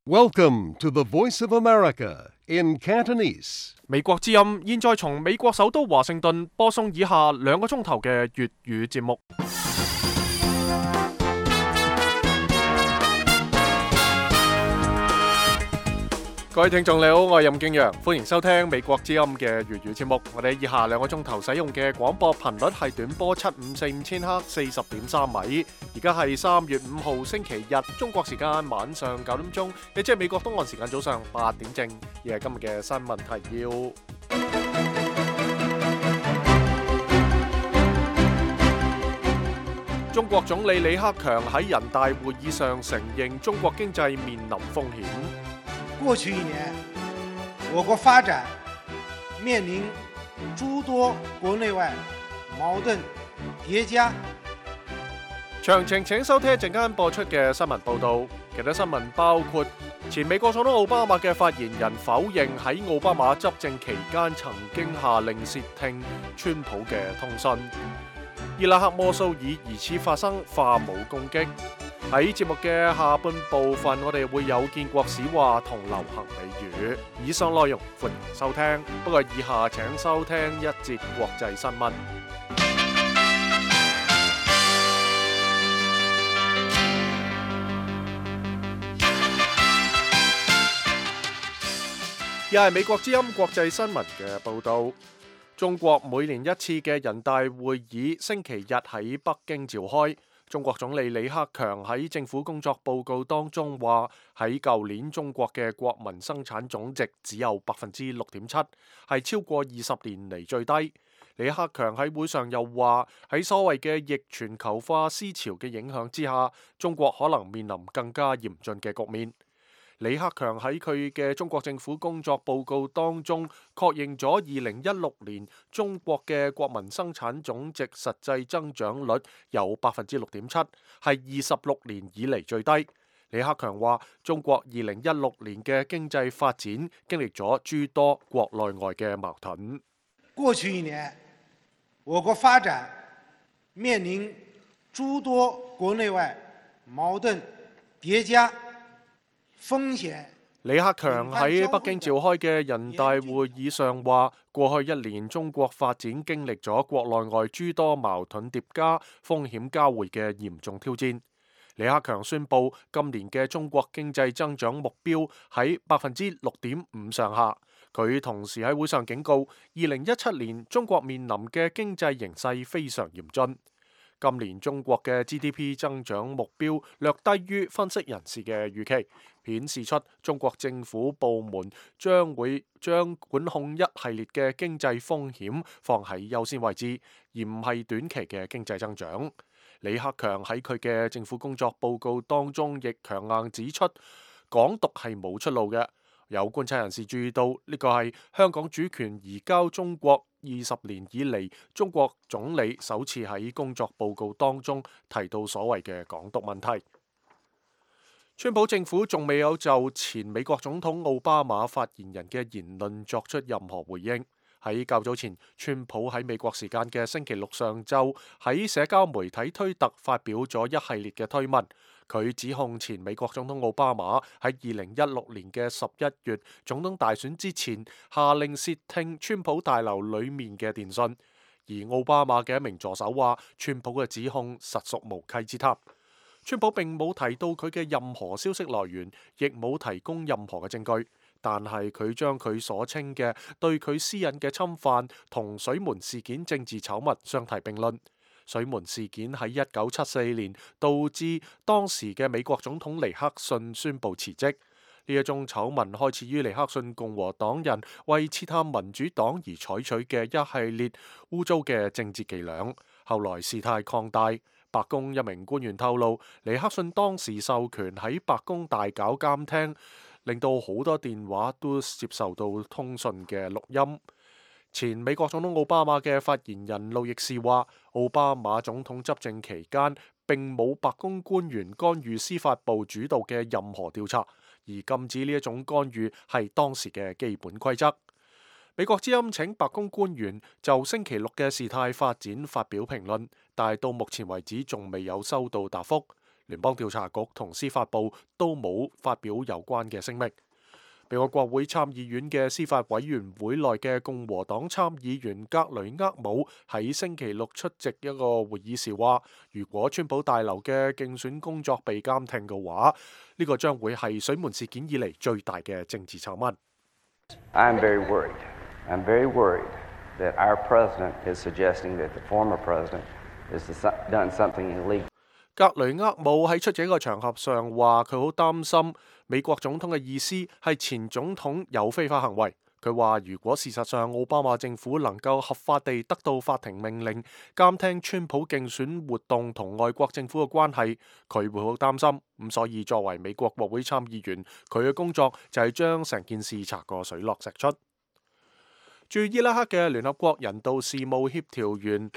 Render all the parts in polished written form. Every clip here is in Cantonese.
Welcome to the Voice of America in Cantonese. 美國之音現在從美國首都華盛頓播送以下2個鐘頭嘅粵語節目。各位聽眾你好，我係任敬陽，歡迎收聽美國之音嘅粵語節目。我哋以下2個鐘頭使用嘅廣播頻率係短波7545千赫40.3米。而家係3月5號星期日，中國時間晚上9點鐘，亦即係美國東岸時間早上8點正。而係今日嘅新聞提要。中國總理李克強喺人大會議上承認中國經濟面臨風險。過去1年，我國發展面臨諸多國內外矛盾疊加。詳情請收聽一陣間播出嘅新聞報道。其他新聞包括前美國總統奧巴馬嘅發言人否認喺奧巴馬執政期間曾經下令竊聽川普嘅通訊。伊拉克摩蘇爾疑似發生化武攻擊。喺節目嘅下半部分，我哋會有建國史話同流行美語。以上內容歡迎收聽，不過以下請收聽一節國際新聞。又係美國之音國際新聞嘅報導。中國每年一次嘅人大會議星期日喺北京召開。中國總理李克強喺政府工作報告當中話，喺舊年中國嘅國民生產總值只有6.7%，係超過20年嚟最低。李克強喺會上又話，喺所謂嘅逆全球化思潮嘅影響之下，中國可能面臨更加嚴峻嘅局面。李克強喺佢嘅中國政府工作報告當中確認咗2016年中國嘅國民生產總值實際增長率有6.7%，係26年以嚟最低。李克強話，中國2016年嘅經濟發展經歷咗諸多國內外嘅矛盾。過去1年，我國發展面臨諸多國內外矛盾疊加。李克強喺北京召開嘅人大會議上話，過去1年中國發展經歷咗國內外諸多矛盾疊加、風險交匯嘅嚴重挑戰。李克強宣布今年嘅中國經濟增長目標喺6.5%上下。佢同時喺會上警告，2017年中國面臨嘅經濟形勢非常嚴峻。今年中國嘅 GDP 增長目標略低於分析人士嘅預期，顯示出中國政府部門將會將管控一系列嘅經濟風險放喺優先位置，而唔係短期嘅經濟增長。李克強喺佢嘅政府工作報告當中亦強硬指出，港獨係冇出路嘅。有觀察人士注意到，呢個係香港主權移交中國20年以嚟，中國總理首次喺工作報告當中提到所謂嘅港獨問題。川普政府仲未有就前美國總統奧巴馬發言人嘅言論作出任何回應。喺較早前，川普喺美國時間嘅星期六上晝喺社交媒體推特發表咗一系列嘅推文，佢指控前美國總統奧巴馬喺2016年嘅11月總統大選之前下令竊聽川普大樓裡面嘅電訊，而奧巴馬嘅一名助手話，川普嘅指控實屬無稽之談。川普並冇提到佢嘅任何消息來源，亦冇提供任何嘅證據。但係佢將佢所稱嘅對佢私隱嘅侵犯同水門事件政治醜聞相提並論。水門事件喺1974年導致當時嘅美國總統尼克遜宣布辭職。呢一宗醜聞開始於尼克遜共和黨人為刺探民主黨而採取嘅一系列污糟嘅政治伎倆，後來事態擴大。白宮一名官員透露，尼克遜當時授權喺白宮大搞監聽，令到好多電話都接受到通訊嘅錄音。前美國總統奧巴馬嘅發言人路易士話，奧巴馬總統執政期間並冇白宮官員干預司法部主導嘅任何調查，而禁止呢一種干預係當時嘅基本規則。美國之音請白宮官員就星期六嘅事態發展發表評論，但係到目前為止仲未有收到答覆。聯邦調查局同司法部都冇發表有關嘅聲明。美國國會參議院嘅司法委員會內嘅共和黨參議員格雷厄姆喺星期六出席一個會議時話，如果川普大樓嘅競選工作被監聽嘅話，呢個將會係水門事件以嚟最大嘅政治醜聞。I'm very worried. I'm very worried that our president is suggesting that the former president has done something illegal. 格雷厄姆喺出席一個場合上話，佢好擔心美國總統嘅意思係前總統有非法行為。佢話如果事實上奧巴馬政府能夠合法地得到法庭命令監聽川普競選活動同外國政府嘅關係，佢會好擔心。咁所以作為美國國會參議員，佢嘅工作就係將成件事查個水落石出。駐伊拉克嘅聯合國人道事務協調員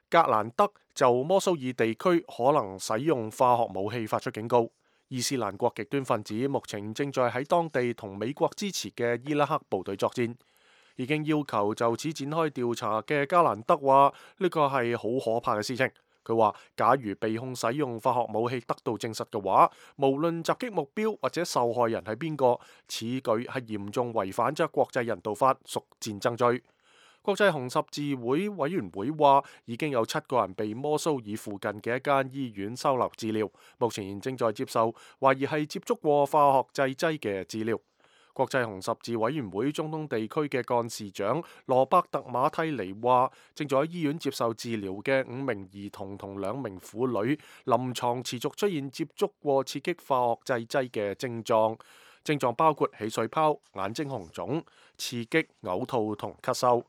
格蘭德就摩蘇爾地區可能使用化學武器發出警告。伊斯蘭國極端分子目前正在喺當地同美國支持嘅伊拉克部隊作戰。已經要求就此展開調查嘅格蘭德話，呢個係好可怕嘅事情。佢話假如被控使用化學武器得到證實嘅話，無論襲擊目標或者受害人係邊個，此舉係嚴重違反咗國際人道法，屬戰爭罪。國際紅十字會委員會話，已經有7個人被摩蘇爾附近嘅一間醫院收留治療，目前正在接受懷疑係接觸過化學製劑嘅治療。國際紅十字委員會中東地區嘅幹事長羅伯特馬蒂尼話，正在喺醫院接受治療嘅5名兒童同2名婦女，臨床持續出現接觸過刺激化學製劑嘅症狀，症狀包括起水泡、眼睛紅腫、刺激、嘔吐同咳嗽。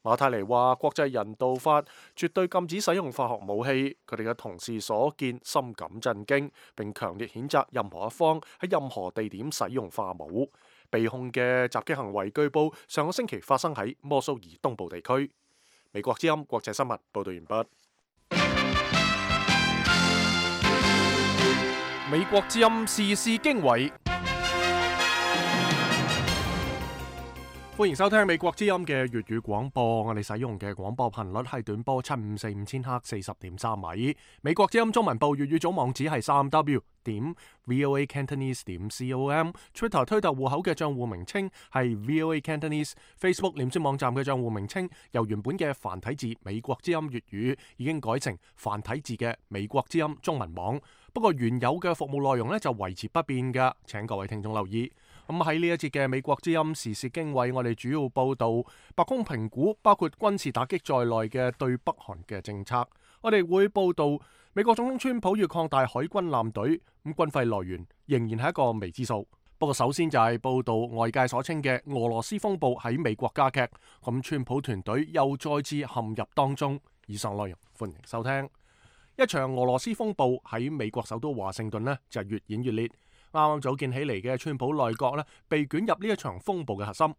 馬泰尼話：國際人道法絕對禁止使用化學武器，佢哋嘅同事所見深感震驚，並強烈譴責任何一方喺任何地點使用化武。被控嘅襲擊行為據報上個星期發生喺摩蘇爾東部地區。美國之音國際新聞報道完畢。美國之音時事經緯。歡迎收聽美國之音嘅粵語廣播，我哋使用嘅廣播頻率係短波7545千赫40.3米。美國之音中文部粵語總網址係3w.voacantonese.com。Twitter 推特戶口嘅賬戶名稱係 VOA Cantonese。Facebook 臉書網站嘅賬戶名稱由原本嘅繁體字美國之音粵語已經改成繁體字嘅美國之音中文網。不過原有嘅服務內容就維持不變㗎，請各位聽眾留意。咁喺呢一節嘅美國之音時事經緯，我哋主要報道白宮評估包括軍事打擊在內嘅對北韓嘅政策。我哋會報道美國總統川普要擴大海軍艦隊，咁軍費來源仍然係一個未知數。不過首先就係報道外界所稱嘅俄羅斯風暴喺美國加劇，咁川普團隊又再次陷入當中。以上內容歡迎收聽。一場俄羅斯風暴喺美國首都華盛頓就越演越烈。啱啱組建起嚟嘅川普內閣被捲入呢一場風暴嘅核心。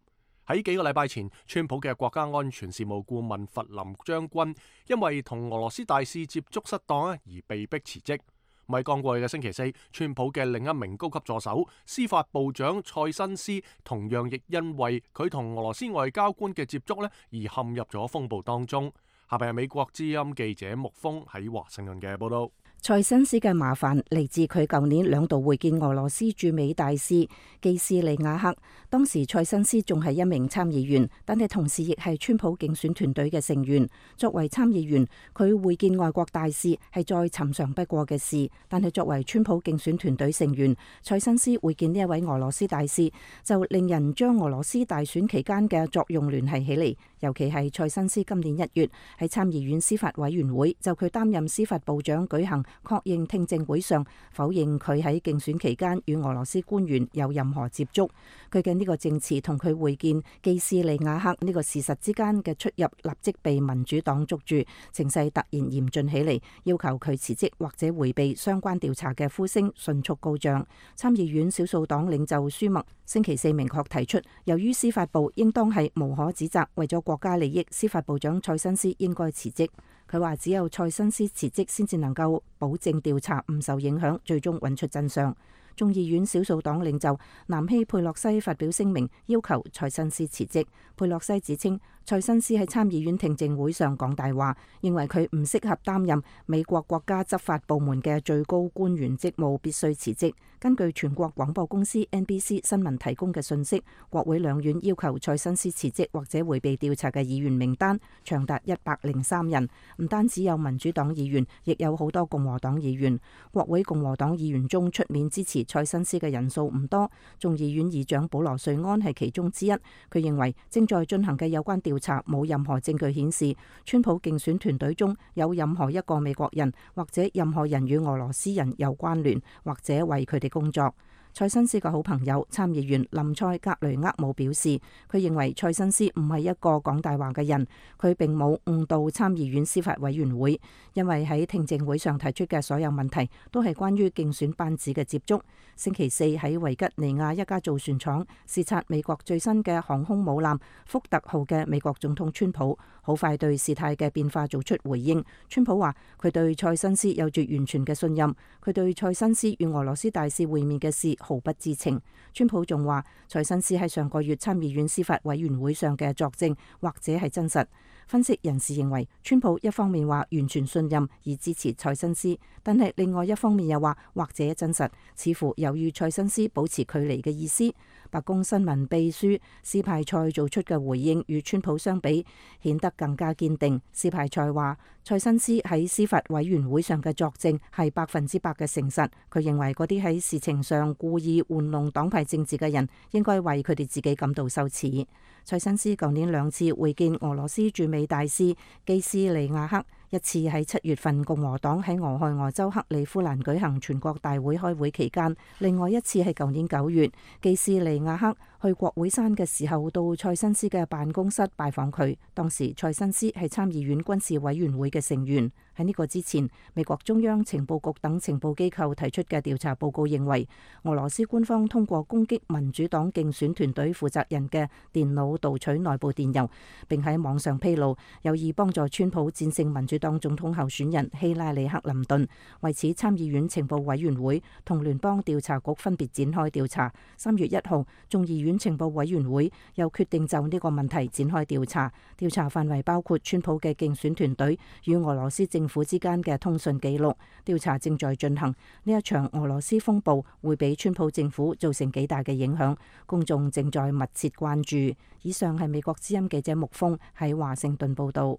喺幾個禮拜前，川普嘅國家安全事務顧問弗林將軍因為同俄羅斯大使接觸失當而被迫辭職。喺剛過去嘅星期四，川普嘅另一名高級助手司法部長塞申斯同樣亦因為佢同俄羅斯外交官嘅接觸而陷入咗風暴當中。下邊係美國之音記者木峰喺華盛頓嘅報道。塞申斯嘅麻煩嚟自佢舊年2度會見俄羅斯駐美大使基斯利亞克，當時塞申斯仲係一名參議員，但係同時亦係川普競選團隊嘅成員。作為參議員，佢會見外國大使係再尋常不過嘅事，但係作為川普競選團隊成員，塞申斯會見呢一位俄羅斯大使，就令人將俄羅斯大選期間嘅作用聯繫起嚟。尤其係塞申斯今年1月喺參議院司法委員會就佢擔任司法部長舉行確認聽證會上，否認佢喺競選期間與俄羅斯官員有任何接觸。佢嘅呢個證詞同佢會見基斯利亞克呢個事實之間嘅出入，立即被民主黨捉住，情勢突然嚴峻起嚟，要求佢辭職或者迴避相關調查嘅呼聲迅速高漲。參議院少數黨領袖舒默星期四明確提出，由於司法部應當係無可指責，為咗國家利益，司法部長塞申斯應該辭職。佢話只有塞申斯辭職先至能夠保證調查唔受影響，最終揾出真相。眾議院少數黨領袖南希佩洛西發表聲明，要求塞申斯辭職。佩洛西指稱蔡新斯喺參議院聽證會上講大話，認為佢唔適合擔任美國國家執法部門嘅最高官員職務，必須辭職。根據全國廣播公司 NBC 新聞提供嘅信息，國會兩院要求蔡新斯辭職或者迴避調查嘅議員名單長達103人，唔單止有民主黨議員，亦有好多共和黨議員。國會共和黨議員中出面支持蔡新斯嘅人數唔多，眾議院議長保羅瑞安係其中之一。佢認為正在進行嘅有關調查冇任何證據顯示川普競選團隊中有任何一個美國人或者任何人與俄羅斯人有關聯或者為佢哋工作。蔡新斯嘅好朋友參議員林塞格雷厄姆表示，佢認為蔡新斯唔係一個講大話嘅人，佢並冇誤導參議院司法委員會，因為喺聽證會上提出嘅所有問題都係關於競選班子嘅接觸。星期四喺維吉尼亞一家造船廠視察美國最新嘅航空母艦福特號嘅美國總統川普，好快對事態嘅變化做出回應。川普話佢對蔡新斯有住完全嘅信任，佢對蔡新斯與俄羅斯大使會面嘅事毫不知情。川普仲話蔡新斯喺上個月參議院司法委員會上嘅作證或者係真實。分析人士認為，川普一方面話完全信任而支持蔡新斯，但係另外一方面又話或者真實，似乎有與蔡新斯保持距離嘅意思。白宮新聞秘書斯派塞做出嘅回應與川普相比，顯得更加堅定。斯派塞話蔡新斯喺司法委員會上嘅作證係100%嘅誠實。佢認為嗰啲喺事情上故意玩弄黨派政治嘅人，應該為佢哋自己感到羞恥。蔡新斯舊年2次會見俄羅斯駐美大使基斯利亞克，一次喺7月份共和黨喺俄亥俄州克里夫蘭舉行全國大會開會期間，另外一次係舊年9月，基斯利亞克去國會山嘅時候到蔡新斯嘅辦公室拜訪佢。當時蔡新斯係參議院軍事委員會嘅成員。喺呢個之前，美國中央情報局等情報機構提出嘅調查報告認為，俄羅斯官方通過攻擊民主黨競選團隊負責人嘅電腦盜取內部電郵，並喺網上披露，有意幫助川普戰勝民主黨總統候選人希拉里克林頓。為此，參議院情報委員會同聯邦調查局分別展開調查。3月1號，眾議院情報委員會又決定就呢個問題展開調查。調查範圍包括川普嘅競選團隊與俄羅斯政府之間嘅通訊記錄。調查正在進行。呢一場俄羅斯風暴會俾川普政府造成幾大嘅影響，公眾正在密切關注。以上係美國之音記者穆峰喺華盛頓報道。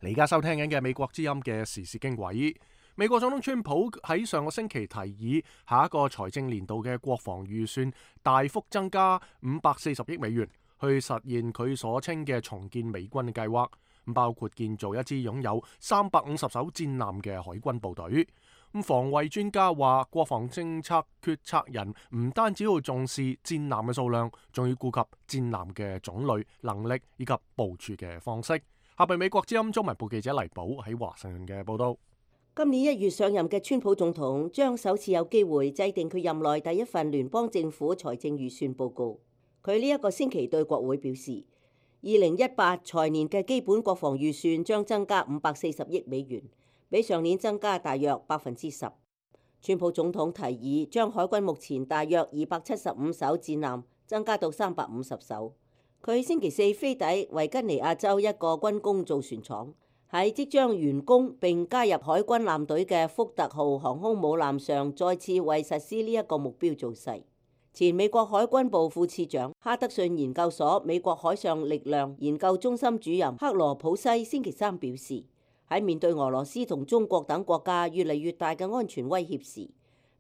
你而家收聽緊嘅美國之音嘅時事經緯。美國總統川普喺上個星期提議下一個財政年度嘅國防預算大幅增加540億美元，去實現佢所稱嘅重建美軍嘅計劃，包括建造一支擁有350艘戰艦嘅海軍部隊。防衛專家話，國防政策決策人唔單止要重視戰艦嘅數量，仲要顧及戰艦嘅種類、能力以及部署嘅方式。下邊美國之音中文部記者黎寶喺華盛頓嘅報道。今年1月上任嘅川普總統將首次有機會制定佢任內第一份聯邦政府財政預算報告。佢呢一個星期對國會表示，2018財年嘅基本國防預算將增加540億美元，比上年增加大約10%。川普總統提議將海軍目前大約275艘戰艦增加到350艘。佢星期四飛抵維吉尼亞州一個軍工造船廠，喺即將完工並加入海軍艦隊嘅福特號航空母艦上，再次為實施呢一個目標造勢。前美國海軍部副次長、哈德遜研究所美國海上力量研究中心主任克羅普西星期三表示，喺面對俄羅斯同中國等國家越嚟越大嘅安全威脅時，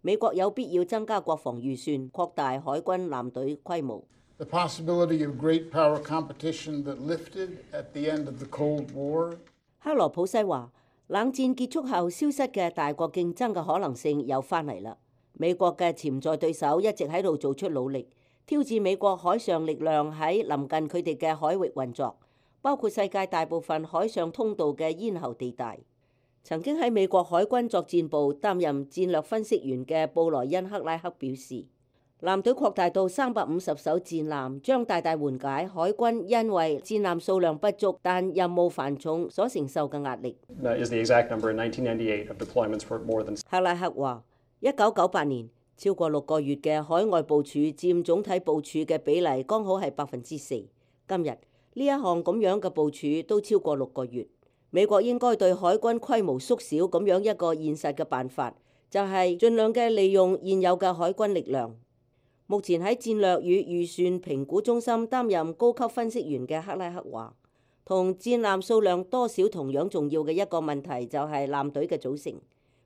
美國有必要增加國防預算，擴大海軍艦隊規模。The possibility of great power competition that lifted at the end of the Cold War. 克羅普西話，冷戰結束後消失嘅大國競爭嘅可能性又翻嚟啦。美國嘅潛在對手一直喺度做出努力，挑戰美國海上力量喺臨近佢哋嘅海域運作，包括世界大部分海上通道嘅咽喉地帶。曾經喺美國海軍作戰部擔任戰略分析員嘅布萊恩克拉克表示，艦隊擴大到350艘戰艦，將大大緩解海軍因為戰艦數量不足但任務繁重所承受嘅壓力。克拉克話，1998年超過6個月嘅海外部署佔總體部署嘅比例剛好係4%。今日呢一項咁樣嘅部署都超過6個月。美國應該對海軍規模縮小咁樣一個現實嘅辦法，就係盡量嘅利用現有嘅海軍力量。目前喺戰略與預算評估中心擔任高級分析員嘅克拉克話，同戰艦數量多少同樣重要嘅一個問題就係艦隊嘅組成。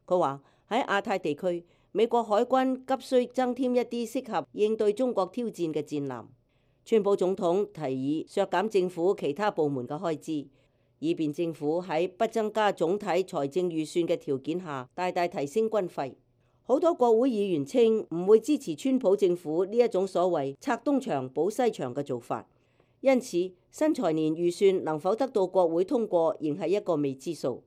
佢話喺亞太地區，美國海軍急需增添一啲適合應對中國挑戰嘅戰艦。川普總統提議削減政府其他部門嘅開支，以便政府喺不增加總體財政預算嘅條件下大大提升軍費。好多國會議員稱唔會支持川普政府呢一種所謂拆東牆補西牆嘅做法，因此新財年預算能否得到國會通過仍係一個未知數。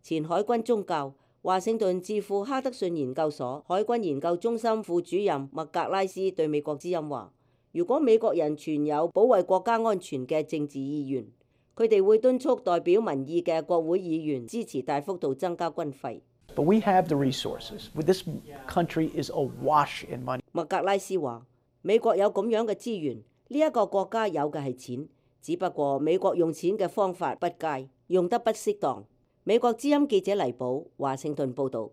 前海軍中校、華盛頓智庫哈德遜研究所海軍研究中心副主任麥格拉斯對美國之音話，如果美國人存有保衛國家安全嘅政治意願，佢哋會敦促代表民意嘅國會議員支持大幅度增加軍費。But we have the resources. This country is awash in money. 麥格拉斯話，美國有咁樣嘅資源，呢一個國家有嘅係錢，只不過美國用錢嘅方法不佳，用得不適當。美國之音記者黎寶，華盛頓報導。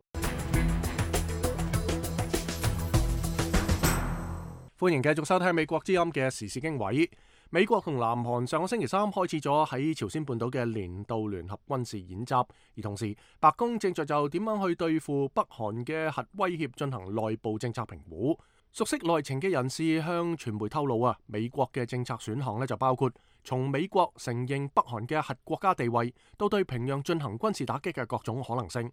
歡迎繼續收聽美國之音嘅時事經緯。美國同南韓上個星期三開始咗喺朝鮮半島嘅年度聯合軍事演習，而同時白宮正在就點樣去對付北韓嘅核威脅進行內部政策評估。熟悉內情嘅人士向傳媒透露啊，美國嘅政策選項呢就包括從美國承認北韓嘅核國家地位，到對平壤進行軍事打擊嘅各種可能性。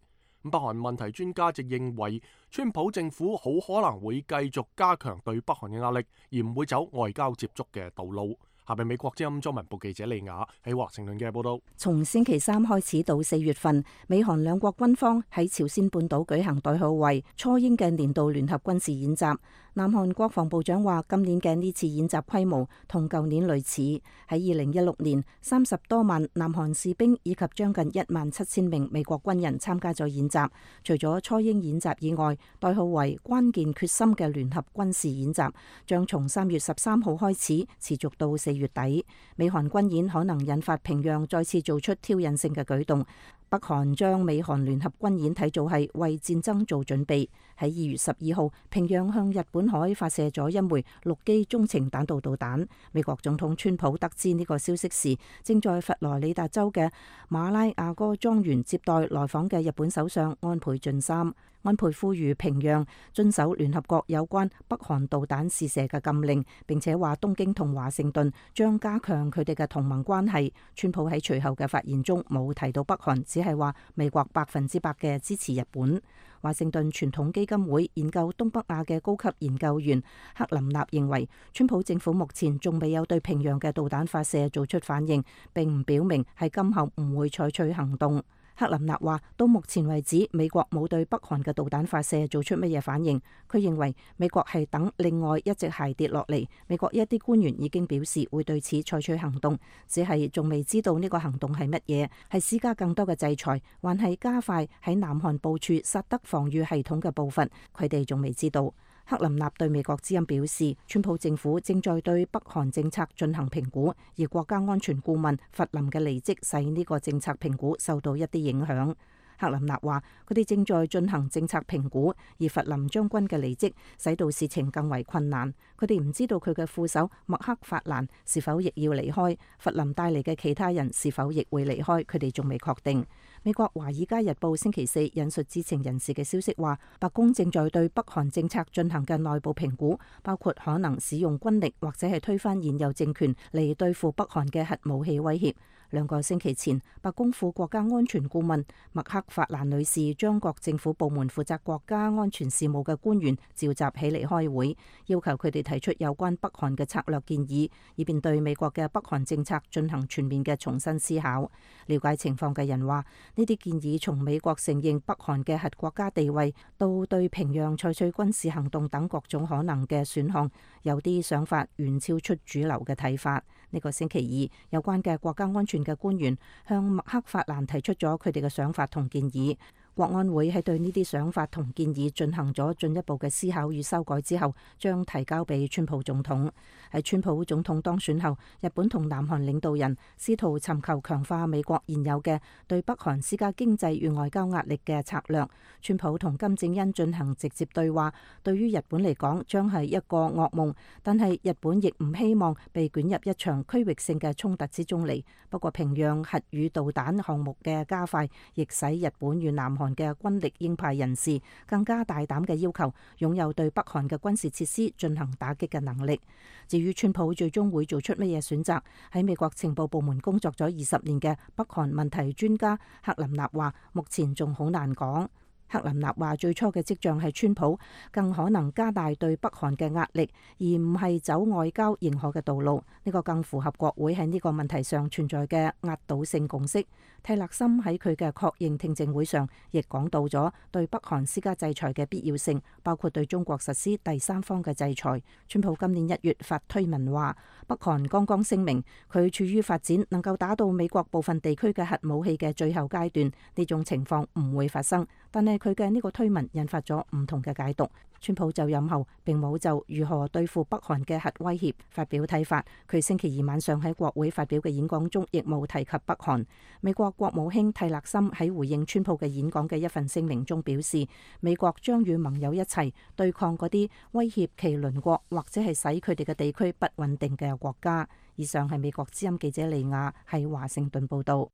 北韓問題專家就認為，川普政府好可能會繼續加強對北韓嘅壓力，而唔會走外交接觸嘅道路。下邊美國之音中文部記者李雅喺華盛頓嘅報道。從星期三開始到4月份，美韓兩國軍方喺朝鮮半島舉行代號為初鷹嘅年度聯合軍事演習。南韓國防部長話，今年嘅呢次演習規模同舊年類似。喺2016年，30多萬南韓士兵以及將近17000名美國軍人參加咗演習。除咗初鷹演習以外，代號為關鍵決心嘅聯合軍事演習將從3月13號開始，持續到4月底。美韓軍演可能引發平壤再次做出挑釁性嘅舉動。北韓將美韓聯合軍演睇做係為戰爭做準備。喺2月12號，平壤向日本海發射咗一枚陸基中程彈道導彈。美國總統川普得知呢個消息時，正在佛羅里達州嘅馬拉亞哥莊園接待來訪嘅日本首相安倍晉三。安倍呼籲平壤遵守聯合國有關北韓導彈試射嘅禁令，並且話東京同華盛頓將加強佢哋嘅同盟關係。川普喺隨後嘅發言中冇提到北韓，只係話美國100%嘅支持日本。華盛頓傳統基金會研究東北亞嘅高級研究員克林納認為，川普政府目前仲未有對平壤嘅導彈發射做出反應，並唔表明係今後唔會採取行動。克林納話，到目前為止，美國冇對北韓嘅導彈發射做出乜嘢反應。佢認為美國係等另外一隻鞋跌落嚟。美國一啲官員已經表示會對此採取行動，只係仲未知道呢個行動係乜嘢，係施加更多嘅制裁，還係加快喺南韓部署薩德防禦系統嘅步伐，佢哋仲未知道。克林納對美國之音表示，川普政府正在對北韓政策進行評估，而國家安全顧問弗林嘅離職使呢個政策評估受到一啲影響。克林納話，佢哋正在進行政策評估，而弗林將軍嘅離職使到事情更為困難。佢哋唔知道佢嘅副手麥克法蘭是否亦要離開，弗林帶嚟嘅其他人是否亦會離開，佢哋仲未確定。美國華爾街日報星期四引述知情人士嘅消息話，白宮正在對北韓政策進行嘅內部評估，包括可能使用軍力或者係推翻現有政權嚟對付北韓嘅核武器威脅。2個星期前，白宮副國家安全顧問麥克法蘭女士將各政府部門負責國家安全事務嘅官員召集起嚟開會，要求佢哋提出有關北韓嘅策略建議，以便對美國嘅北韓政策進行全面嘅重新思考。了解情況嘅人話，呢啲建議從美國承認北韓嘅核國家地位，到對平壤採取軍事行動等各種可能嘅選項，有啲想法遠超出主流嘅睇法。呢個星期二，有關嘅國家安全嘅官員向麥克法蘭提出咗佢哋嘅想法同建議。國安會喺對呢啲想法同建議進行咗進一步嘅思考與修改之後，將提交俾川普總統。喺川普總統當選後，日本同南韓領導人試圖尋求強化美國現有嘅對北韓施加經濟與外交壓力嘅策略。川普同金正恩進行直接對話，對於日本嚟講將係一個噩夢，但係日本亦唔希望被捲入一場區域性嘅衝突之中嚟。不過平壤核與導彈項目嘅加快，亦使日本與南韓嘅軍力鷹派人士更加大膽嘅要求擁有對北韓嘅軍事設施進行打擊嘅能力。至於川普最終會做出乜嘢選擇，喺美國情報部門工作咗20年嘅北韓問題專家克林納話，目前仲好難講。克林納話最初嘅跡象係川普更可能加大對北韓嘅壓力，而唔係走外交認可嘅道路。呢個更符合國會喺呢個問題上存在嘅壓倒性共識。蒂勒森喺佢嘅確認聽證會上亦講到咗對北韓施加制裁嘅必要性，包括對中國實施第三方嘅制裁。川普今年1月發推文話，北韓剛剛聲明佢處於發展能夠打到美國部分地區嘅核武器嘅最後階段，呢種情況唔會發生。但係佢嘅呢個推文引發咗唔同嘅解讀。川普就任後並冇就如何對付北韓嘅核威脅發表睇法。佢星期二晚上喺國會發表嘅演講中亦冇提及北韓。美國國務卿蒂勒森喺回應川普嘅演講嘅一份聲明中表示，美國將與盟友一齊對抗嗰啲威脅其鄰國或者係使佢哋嘅地區不穩定嘅國家。以上係美國之音記者利亞喺華盛頓報道。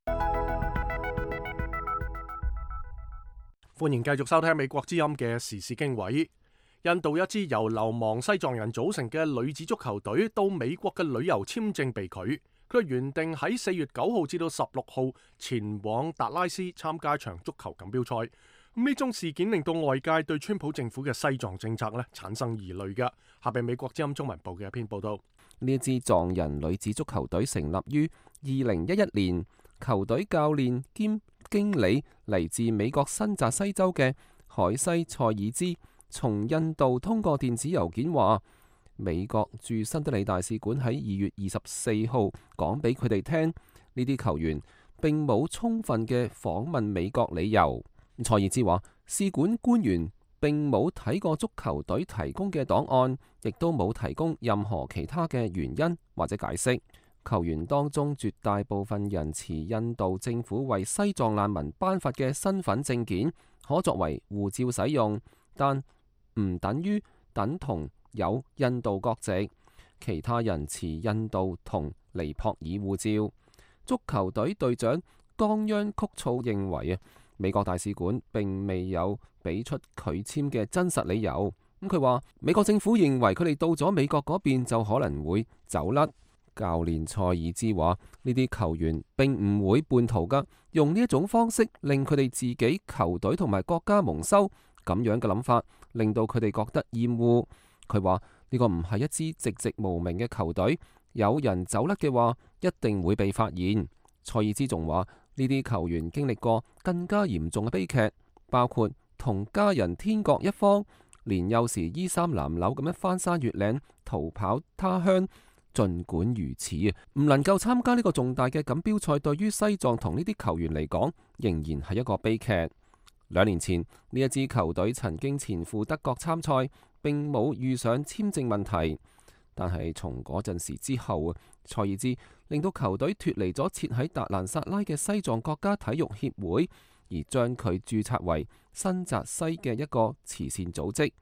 歡迎繼續收聽美國之音嘅時事經緯。印度一支由流亡西藏人組成嘅女子足球隊到美國嘅旅遊簽證被拒，佢原定喺4月9號至到16號前往達拉斯參加一場足球錦標賽。呢宗事件令到外界對川普政府嘅西藏政策產生疑慮嘅。下邊美國之音中文部嘅一篇報道。呢支藏人女子足球隊成立於2011年，球隊教練兼經理嚟自美國新澤西州嘅海西塞爾茲，從印度通過電子郵件話，美國駐新德里大使館喺2月24號講俾佢哋聽，呢啲球員並冇充分嘅訪問美國理由。塞爾茲話，使館官員並冇睇過足球隊提供嘅檔案，亦都冇提供任何其他嘅原因或者解釋。球員當中絕大部分人持印度政府為西藏難民頒發嘅身份證件，可作為護照使用，但唔等同有印度國籍。其他人持印度同尼泊爾護照。足球隊隊長岡央曲措認為美國大使館並未有俾出拒簽嘅真實理由。佢話美國政府認為佢哋到咗美國嗰邊就可能會走甩。教練塞爾茲話，呢啲球員並唔會叛逃噶，用呢一種方式令佢哋自己球隊同埋國家蒙羞，咁樣嘅諗法令到佢哋覺得厭惡。佢話呢個唔係一支籍籍無名嘅球隊，有人走甩嘅話一定會被發現。塞爾茲仲話呢啲球員經歷過更加嚴重嘅悲劇，包括同家人天各一方，年幼時衣衫襤褸咁樣翻山越嶺逃跑他鄉。盡管如此唔能夠參加呢個重大嘅錦標賽，對於西藏同呢啲球員嚟講，仍然係一個悲劇。2年前呢一支球隊曾經前赴德國參賽，並冇遇上簽證問題。但係從嗰陣時之後，塞爾茲令到球隊脫離咗設喺達蘭薩拉嘅西藏國家體育協會，而將佢註冊為新澤西嘅一個慈善組織。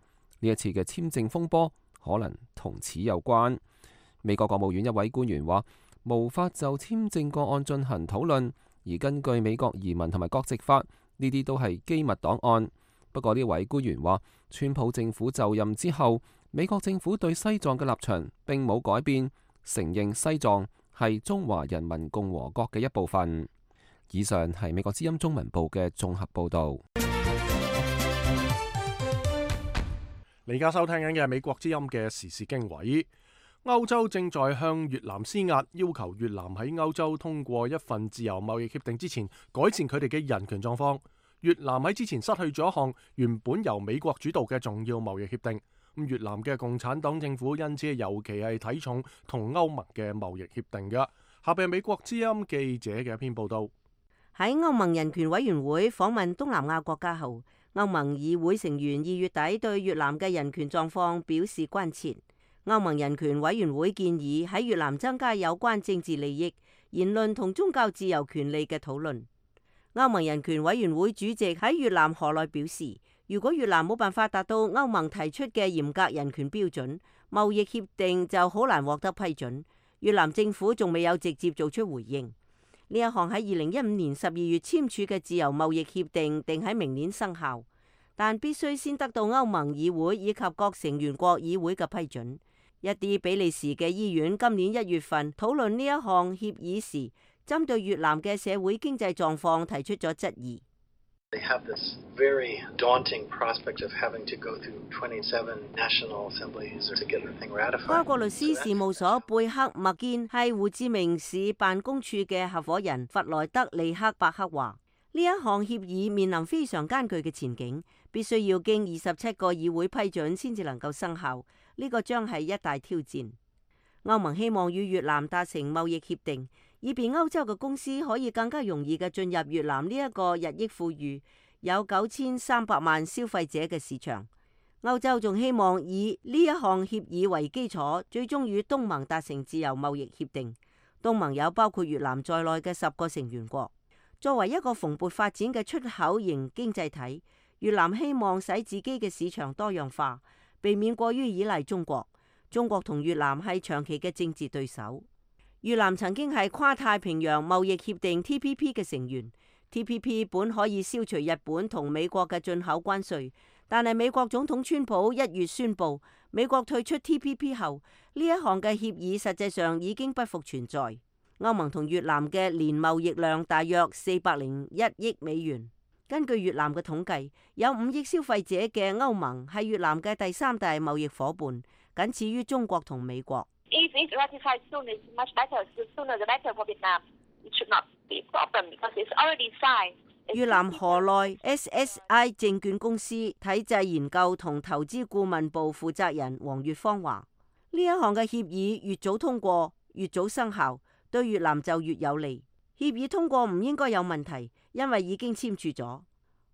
呢一次嘅簽證風波可能同此有關。美國國務院一位官員話，無法就簽證個案進行討論，而根據美國移民同埋國籍法，呢啲都係機密檔案。不過呢位官員話，川普政府就任之後，美國政府對西藏嘅立場並冇改變，承認西藏係中華人民共和國嘅一部分。以上係美國之音中文部嘅綜合報導。你而家收聽緊嘅係美國之音嘅時事經緯。歐洲正在向越南施壓，要求越南喺歐洲通過一份自由貿易協定之前，改善佢哋嘅人權狀況。越南喺之前失去咗一項原本由美國主導嘅重要貿易協定。越南嘅共產黨政府因此尤其係睇重同歐盟嘅貿易協定嘅。下邊係美國之音記者嘅一篇報道。喺歐盟人權委員會訪問東南亞國家後，歐盟議會成員2月底對越南嘅人權狀況表示關切。歐盟人權委員會建議喺越南增加有關政治利益、言論同宗教自由權利嘅討論。歐盟人權委員會主席喺越南河內表示，如果越南冇辦法達到歐盟提出嘅嚴格人權標準，貿易協定就好難獲得批准。越南政府仲未有直接做出回應。呢一項喺2015年12月簽署嘅自由貿易協定定喺明年生效，但必須先得到歐盟議會以及各成員國議會嘅批准。一啲比利時嘅醫院今年1月份討論呢一項協議時，針對越南嘅社會經濟狀況提出咗質疑。They have this very daunting prospect of having to go through 27 national assemblies to get the thing ratified. 跨國律師事務所貝克麥堅係胡志明市辦公處嘅合夥人弗萊德利克伯克話：呢一項協議面臨非常艱巨嘅前景，必須要經27個議會批准先至能夠生效。呢個將係一大挑戰。歐盟希望與越南達成貿易協定，以便歐洲嘅公司可以更加容易嘅進入越南呢一個日益富裕、有9300萬消費者嘅市場。歐洲仲希望以呢一項協議為基礎，最終與東盟達成自由貿易協定。東盟有包括越南在內嘅10個成員國。作為一個蓬勃發展嘅出口型經濟體，越南希望使自己嘅市場多樣化，避免過於依賴中國。中國同越南係長期嘅政治對手。越南曾經係跨太平洋貿易協定 TPP 嘅成員。TPP 本可以消除日本同美國嘅進口關稅，但係美國總統川普1月宣布美國退出 TPP 後，呢一項嘅協議實際上已經不復存在。歐盟同越南嘅年貿易量大約401億美元。根據越南嘅統計，有5億消費者嘅歐盟係越南嘅第3大貿易夥伴，僅次於中國同美國。If it's ratified soon, it's much better. The sooner the better for Vietnam. It should not be a problem because it's already signed. 越南河內 SSI 證券公司體制研究同投資顧問部負責人黃月芳話：呢一項嘅協議越早通過，越早生效，對越南就越有利。協議通過唔應該有問題，因為已經簽署咗。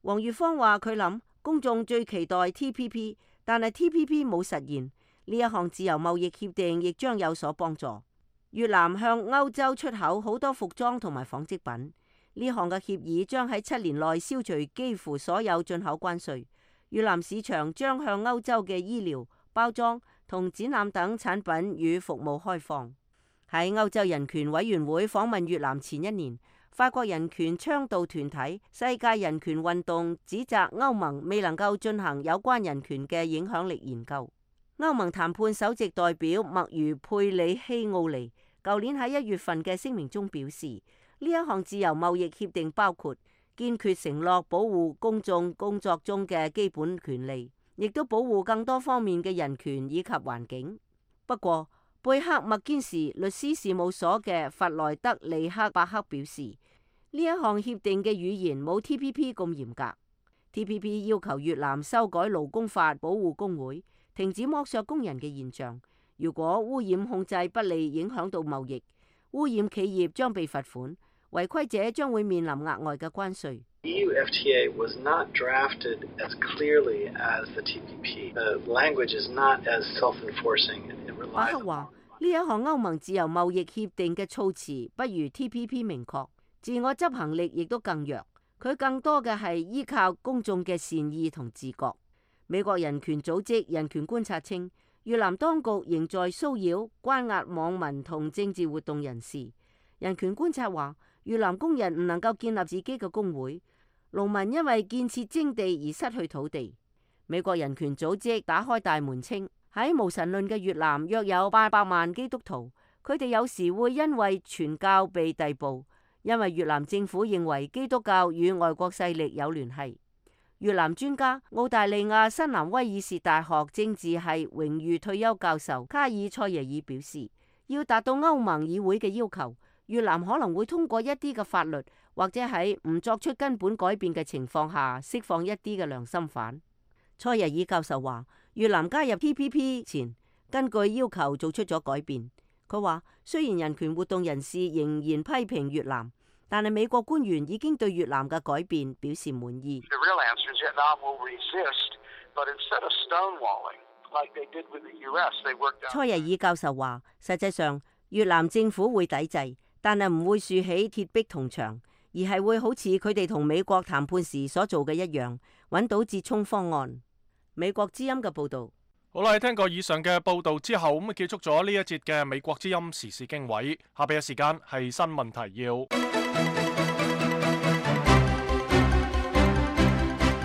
黃月芳話：佢諗公眾最期待 TPP， 但係 TPP 冇實現。呢一項自由貿易協定亦將有所幫助。越南向歐洲出口好多服裝同埋紡織品。呢項嘅協議將喺7年內消除幾乎所有進口關稅。越南市場將向歐洲嘅醫療、包裝同展覽等產品與服務開放。喺歐洲人權委員會訪問越南前1年，法國人權倡導團體世界人權運動指責歐盟未能夠進行有關人權嘅影響力研究。歐盟談判首席代表麥如佩里希奧尼舊年喺1月份嘅聲明中表示，呢一項自由貿易協定包括堅決承諾保護公眾工作中嘅基本權利，亦都保護更多方面嘅人權以及環境。不過，貝克麥堅士律師事務所嘅弗萊德利克伯克表示，呢一項協定嘅語言冇 TPP 咁嚴格。TPP 要求越南修改勞工法，保護工會，停止剝削工人嘅現象。如果污染控制不利，影響到貿易，污染企業將被罰款，違規者將會面臨額外嘅關稅。EU FTA was not drafted as clearly as the TPP. The language is not as self-enforcing. 伯克話：呢一項歐盟自由貿易協定嘅措辭不如 TPP 明確，自我執行力亦都更弱。佢更多嘅係依靠公眾嘅善意同自覺。美國人權組織人權觀察稱，越南當局仍在騷擾、關押網民同政治活動人士。人權觀察話，越南工人唔能夠建立自己嘅工會，農民因為建設徵地而失去土地。美國人權組織打開大門稱，喺無神論嘅越南約有800萬基督徒，佢哋有時會因為傳教被逮捕，因為越南政府認為基督教與外國勢力有聯繫。越南專家、澳大利亞新南威爾士大學政治系榮譽退休教授卡爾塞耶爾表示，要達到歐盟議會嘅要求，越南可能會通過一啲嘅法律，或者喺唔作出根本改變嘅情況下釋放一啲嘅良心犯。塞耶爾教授話，越南加入 TPP 前，根據要求做出咗改變。佢話，雖然人權活動人士仍然批評越南，但係美國官員已經對越南嘅改變表示滿意。蔡日爾教授話，實際上越南政府會抵制，但係唔會豎起鐵壁銅牆，而係會好似佢哋同美國談判時所做嘅一樣，揾到折衷方案。美國之音嘅報導。好啦，聽過以上嘅報導之後，咁結束咗呢一節嘅美國之音時事經緯。下邊嘅時間係新聞提要。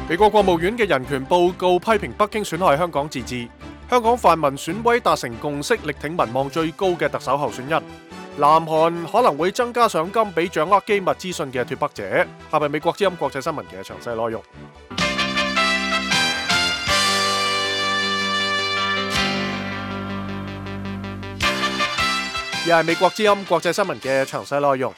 美國國務院嘅人權報告批評北京損害香港自治。香港泛民選委達成共識，力挺民望最高嘅特首候選人。南韓可能會增加賞金俾掌握機密資訊嘅脫北者。下邊美國之音國際新聞嘅詳細內容。又係美國之音國際新聞嘅詳細內容。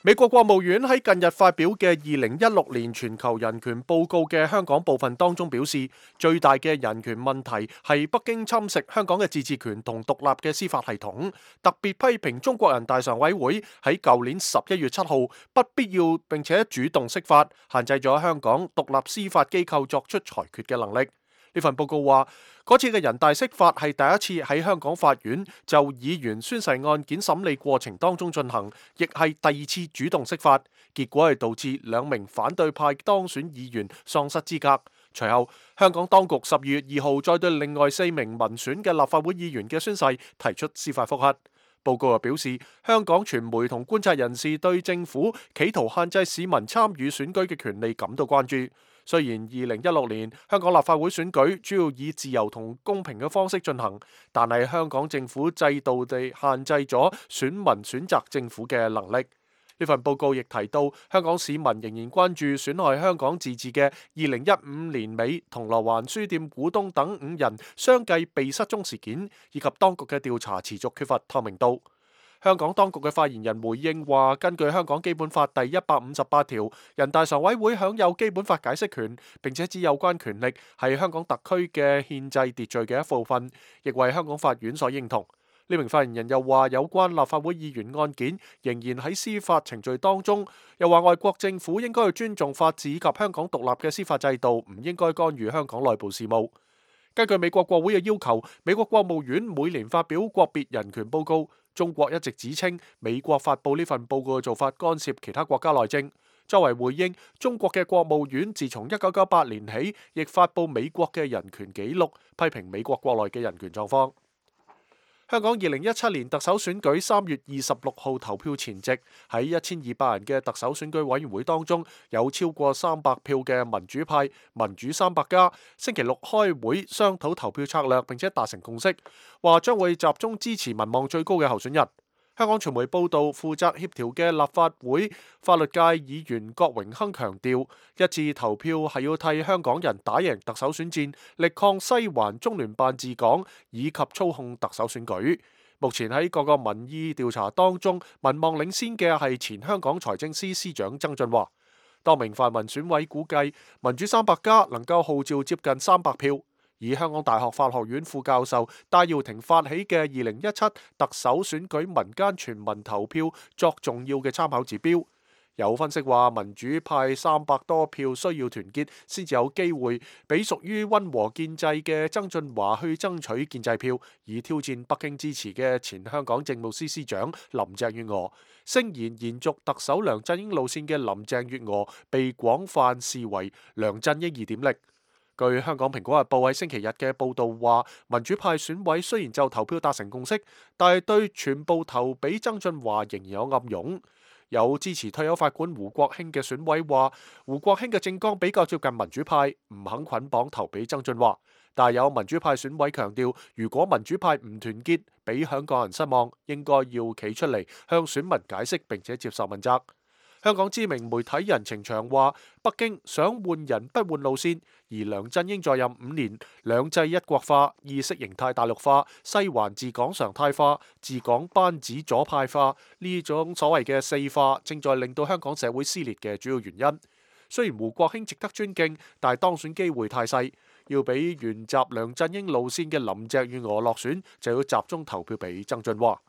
美國國務院喺近日發表嘅2016年全球人權報告嘅香港部分當中表示，最大嘅人權問題係北京侵蝕香港嘅自治權同獨立嘅司法系統，特別批評中國人大常委會喺舊年11月7號不必要並且主動釋法，限制咗香港獨立司法機構作出裁決嘅能力。呢份報告話，嗰次嘅人大釋法係第一次喺香港法院就議員宣誓案件審理過程當中進行，亦係第二次主動釋法，結果係導致2名反對派當選議員喪失資格。隨後，香港當局12月2號再對另外4名民選嘅立法會議員嘅宣誓提出司法覆核。報告又表示，香港傳媒同觀察人士對政府企圖限制市民參與選舉嘅權利感到關注。雖然2016年香港立法會選舉主要以自由同公平嘅方式進行，但係香港政府制度地限制咗選民選擇政府嘅能力。呢份報告亦提到，香港市民仍然關注損害香港自治嘅2015年尾銅鑼灣書店股東等5人相繼被失蹤事件，以及當局嘅調查持續缺乏透明度。香港當局嘅發言人回應話，根據香港基本法第158條，人大常委會享有基本法解釋權，並且指有關權力係香港特區嘅憲制秩序嘅一部分，亦為香港法院所認同。呢名發言人又話，有關立法會議員案件仍然喺司法程序當中，又話外國政府應該去尊重法治及香港獨立嘅司法制度，唔應該干預香港內部事務。根據美國國會嘅要求，美國國務院每年發表國別人權報告。中國一直指稱美國發布呢份報告嘅做法干涉其他國家內政。作為回應，中國嘅國務院自從1998年起，亦發布美國嘅人權紀錄，批評美國國內嘅人權狀況。香港2017年特首選舉3月26號投票前夕，喺1200人嘅特首選舉委員會當中，有超過300票嘅民主派民主300+，星期六開會商討投票策略，並且達成共識，話將會集中支持民望最高嘅候選人。香港傳媒報道，負責協調嘅立法會法律界議員郭榮鏗強調，一致投票係要替香港人打贏特首選戰，力抗西環中聯辦治港以及操控特首選舉。目前喺各個民意調查當中，民望領先嘅係前香港財政司司長曾俊華。多名泛民選委估計，民主300+能夠號召接近300票。以香港大學法學院副教授戴耀廷發起嘅2017特首選舉民間全民投票作重要嘅參考指標。有分析話，民主派300多票需要團結先至有機會俾屬於溫和建制嘅曾俊華去爭取建制票，以挑戰北京支持嘅前香港政務司司長林鄭月娥。聲言延續特首梁振英路線嘅林鄭月娥被廣泛視為梁振英2.0。據香港蘋果日報喺星期日嘅報導話，民主派選委雖然就投票達成共識，但係對全部投俾曾俊華仍然有暗湧。有支持退休法官胡國興嘅選委話，胡國興嘅政綱比較接近民主派，唔肯捆綁投俾曾俊華。但係有民主派選委強調，如果民主派唔團結，俾香港人失望，應該要企出嚟向選民解釋並且接受問責。香港知名媒體人程翔話，北京想換人不換路線，而梁振英在任5年，兩制一國化、意識形態大陸化、西環治港常態化、治港班子左派化呢種所謂嘅4化，正在令到香港社會撕裂嘅主要原因。雖然胡國興值得尊敬，但係當選機會太細，要俾沿襲梁振英路線嘅林鄭月娥落選，就要集中投票俾曾俊華。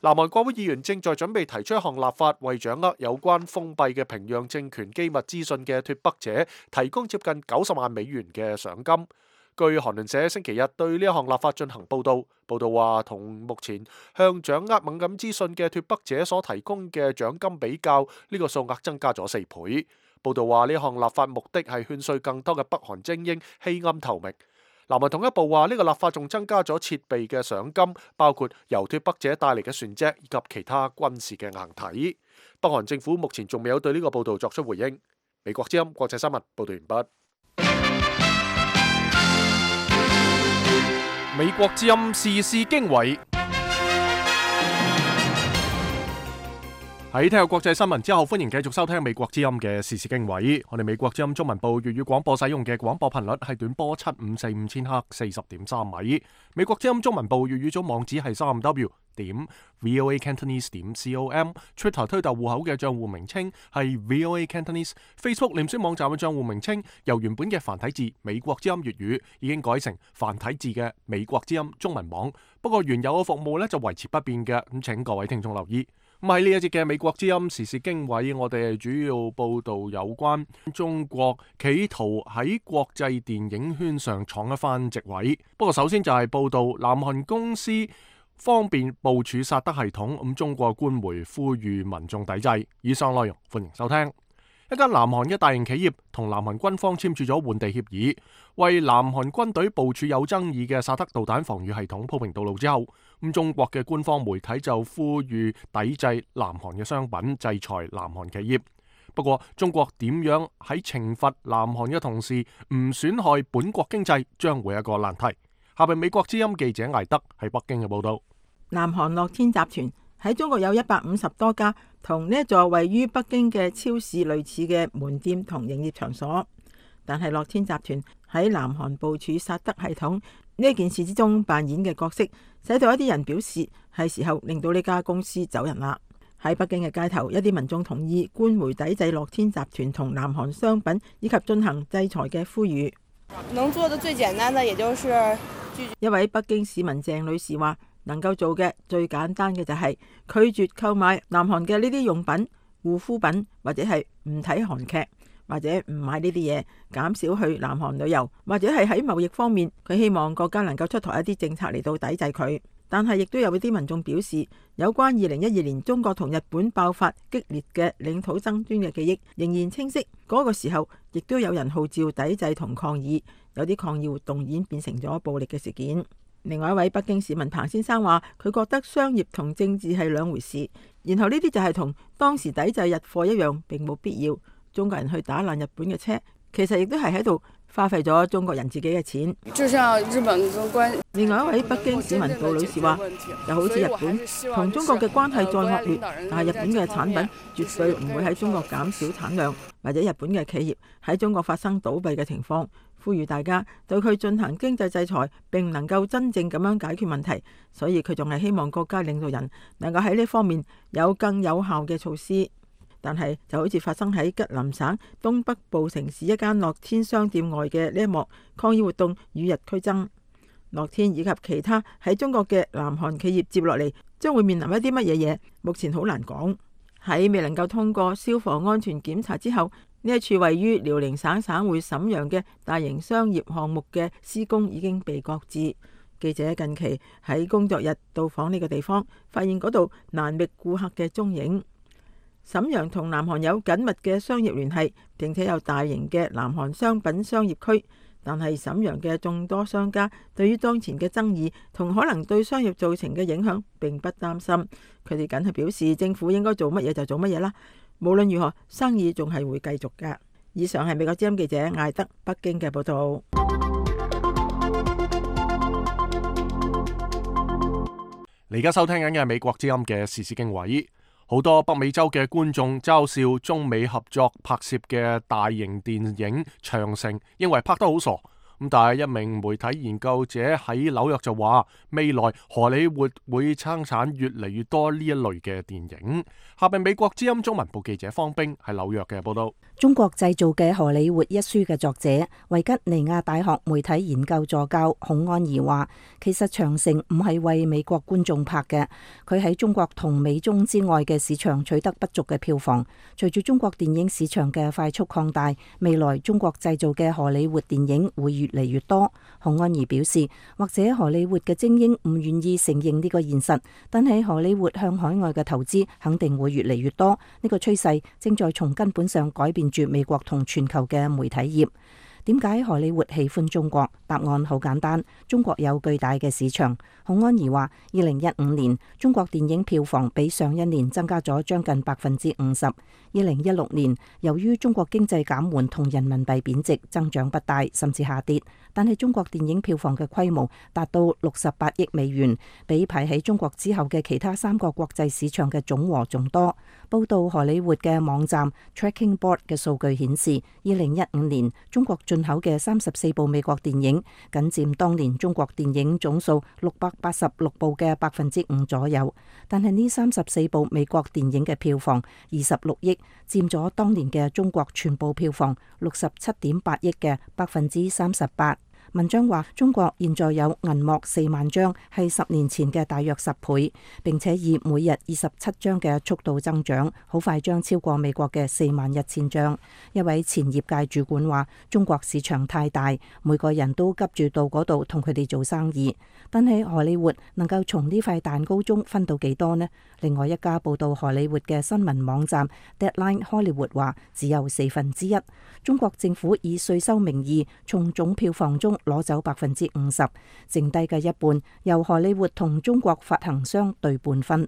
南韓國會議員正在準備提出一項立法，為掌握有關封閉嘅平壤政權機密資訊嘅脫北者提供接近90萬美元嘅賞金。據韓聯社星期日對呢一項立法進行報導，報導話同目前向掌握敏感資訊嘅脫北者所提供嘅獎金比較，呢個數額增加咗4倍。報導話呢項立法目的係勸說更多嘅北韓精英棄暗投明。南韓統一部話呢個立法仲增加咗設備嘅賞金，包括由脫北者帶嚟嘅船隻以及其他軍事嘅硬體。北韓政府目前仲未有對呢個報導作出回應。美國之音國際新聞報導完畢。美國之音時事經緯。喺聽過國際新聞之後，歡迎繼續收聽美國之音嘅時事經緯。我哋美國之音中文部粵語廣播使用嘅廣播頻率係短波7545千赫40.3米。美國之音中文部粵語組網址係3w.voacantonese.com。Twitter 推特戶口嘅賬戶名稱係 VOA Cantonese。Facebook 臉書網站嘅賬戶名稱由原本嘅繁體字美國之音粵語已經改成繁體字嘅美國之音中文網。不過原有嘅服務呢就維持不變嘅，咁請各位聽眾留意。咁喺呢一節嘅美國之音時事經緯，我哋主要報道有關中國企圖喺國際電影圈上闖一番席位。不過首先就係報道南韓公司方便部署薩德系統，咁中國官媒呼籲民眾抵制。以上內容歡迎收聽。一間南韓嘅大型企業同南韓軍方簽署咗換地協議，為南韓軍隊部署有爭議嘅薩德導彈防禦系統鋪平道路之後，咁中國嘅官方媒體就呼籲抵制南韓嘅商品，制裁南韓企業。不過中國點樣喺懲罰南韓嘅同時唔損害本國經濟，將會係一個難題。下邊美國之音記者艾德喺北京嘅報道。南韓樂天集團喺中國有150多家同呢一座位於北京嘅超市類似嘅門店同營業場所，但係樂天集團喺南韓部署薩德系統呢件事之中扮演嘅角色，使到一啲人表示係時候令到呢家公司走人啦。喺北京嘅街頭，一啲民眾同意官媒抵制樂天集團同南韓商品以及進行制裁嘅呼籲。能做的最簡單的也就是一位北京市民鄭女士話，能夠做嘅最簡單嘅就係拒絕購買南韓嘅呢啲用品、護膚品，或者係唔睇韓劇，或者唔買呢啲嘢，減少去南韓旅遊，或者係喺貿易方面，佢希望國家能夠出台一啲政策嚟到抵制佢。但係亦都有啲民眾表示，有關2012年中國同日本爆發激烈嘅領土爭端嘅記憶仍然清晰。嗰個時候亦都有人號召抵制同抗議，有啲抗議活動演變成咗暴力嘅事件。另外一位北京市民彭先生話，佢覺得商業同政治係兩回事，然後呢啲就係同當時抵制日貨一樣，並冇必要。中國人去打爛日本嘅車，其實亦都係喺度花費咗中國人自己嘅錢。另外一位北京市民杜女士話，就好似日本同中國嘅關係再惡劣，但係日本嘅產品絕對唔會喺中國減少產量，或者日本嘅企業喺中國發生倒閉嘅情況。呼籲大家對佢進行經濟制裁，並唔能夠真正咁樣解決問題，所以佢仲係希望國家領導人能夠喺呢方面有更有效嘅措施。但係就好似發生喺吉林省東北部城市一間樂天商店外嘅呢一幕抗議活動與日俱增。樂天以及其他喺中國嘅南韓企業接落嚟將會面臨一啲乜嘢嘢，目前好難講。喺未能夠通過消防安全檢查之後，呢一處位於遼寧省省會瀋陽嘅大型商業項目嘅施工已經被擱置。記者近期喺工作日到訪呢個地方，發現嗰度難覓顧客嘅蹤影。瀋陽同南韓有緊密嘅商業聯繫，並且有大型嘅南韓商品商業區。但係瀋陽嘅眾多商家對於當前嘅爭議同可能對商業造成嘅影響並不擔心，佢哋僅係表示政府應該做乜嘢就做乜嘢啦。無論如何，生意仲係會繼續㗎。以上係美國之音記者艾德北京嘅報道。你而家收聽緊嘅係美國之音嘅時事經緯。好多北美洲嘅觀眾嘲笑中美合作拍攝嘅大型電影《長城》，認為拍得好傻。咁但係一名媒體研究者喺紐約就話，未來荷里活會生產越嚟越多呢一類嘅電影。下邊美國之音中文部記者方冰喺紐約嘅報道。中國製造嘅荷里活一書嘅作者維吉尼亞大學媒體研究助教孔安儀話，其實長城唔係為美國觀眾拍嘅，佢喺中國同美中之外嘅市場取得不俗嘅票房。隨住中國電影市場嘅快速擴大，未來中國製造嘅荷里活電影會越嚟越多。孔安儀表示，或者荷里活嘅精英唔願意承認呢個現實，但係荷里活向海外嘅投資肯定會越嚟越多。呢個趨勢正在從根本上改變住美國同全球嘅媒體業。點解荷里活喜歡中國？答案好簡單，中國有巨大嘅市場。孔安儀話，2015年中國電影票房比上一年增加咗將近50%。2016年由於中國經濟減緩同人民幣貶值，增長不大，甚至下跌。但係中國電影票房嘅規模達到68億美元，比排喺中國之後嘅其他3個國際市場嘅總和仲多。報道荷里活嘅網站 Tracking Board 嘅數據顯示，2015年中國進口嘅34部美國電影，僅佔當年中國電影總數686部嘅5%左右。但係呢34部美國電影嘅票房26億，佔咗當年嘅中國全部票房67.8億嘅38%。文章話，中國現在有銀幕4萬張，係10年前嘅大約10倍，並且以每日27張嘅速度增長，好快將超過美國嘅41000張。一位前業界主管話，中國市場太大，每個人都急住到嗰度同佢哋做生意。但係荷里活能夠從呢塊蛋糕中分到幾多呢？另外一家報道荷里活嘅新聞網站 Deadline Hollywood 話，只有1/4。中國政府以稅收名義從總票房中攞走50%，剩低嘅一半由荷里活同中國發行商對半分。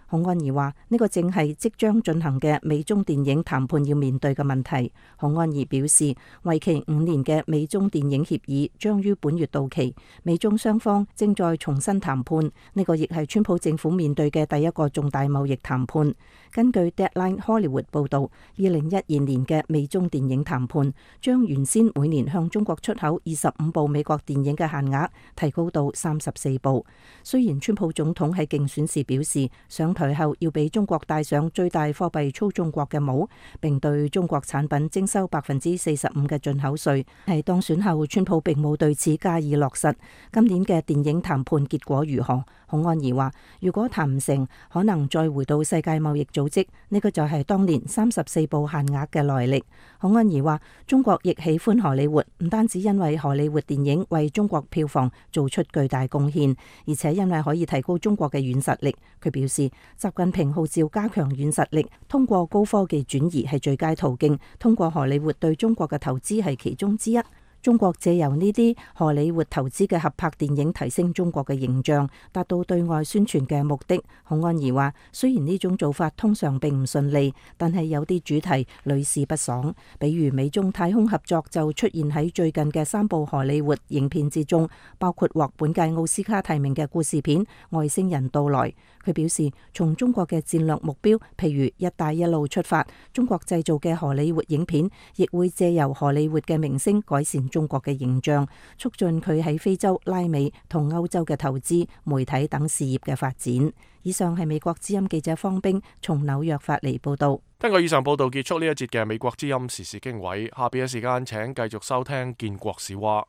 孔安儀話，呢個正係即將進行嘅美中電影談判要面對嘅問題。孔安儀表示，為期5年嘅美中電影協議將於本月到期，美中雙方正在重新談判。呢個亦係川普政府面對嘅第一個重大貿易談判。根據 Deadline Hollywood 報導，2012年嘅美中電影談判將原先每年向中國出口25部美國電影嘅限額提高到34部。雖然川普總統喺競選時表示，上台後要俾中國戴上最大貨幣操縱國嘅帽，並對中國產品徵收45%嘅進口稅，喺當選後，川普並冇對此加以落實。今年嘅電影談判結果如何？孔安儀話，如果談唔成，可能再回到世界貿易組織，呢個就係當年34部限額嘅來歷。孔安儀話，中國亦喜歡荷里活，唔單止因為荷里活電影為中國票房做出巨大貢獻，而且因為可以提高中國嘅軟實力。佢表示，習近平號召加強軟實力，通過高科技轉移係最佳途徑，通過荷里活對中國嘅投資係其中之一。中國借由呢啲荷里活投資嘅合拍電影提升中國嘅形象，達到對外宣傳嘅目的。孔安儀話，雖然呢種做法通常並唔順利，但係有啲主題屢試不爽，比如美中太空合作就出現喺最近嘅3部荷里活影片之中，包括獲本屆奧斯卡提名嘅故事片《外星人到來》。佢表示，從中國嘅戰略目標，譬如一帶一路出發，中國製造嘅荷里活影片亦會借由荷里活嘅明星改善中國嘅形象，促進佢喺非洲、拉美同歐洲嘅投資、媒體等事業嘅發展。以上係美國之音記者方冰從紐約發嚟報道。根據以上報道結束呢一節嘅美國之音時事經緯，下邊嘅時間請繼續收聽建國史話。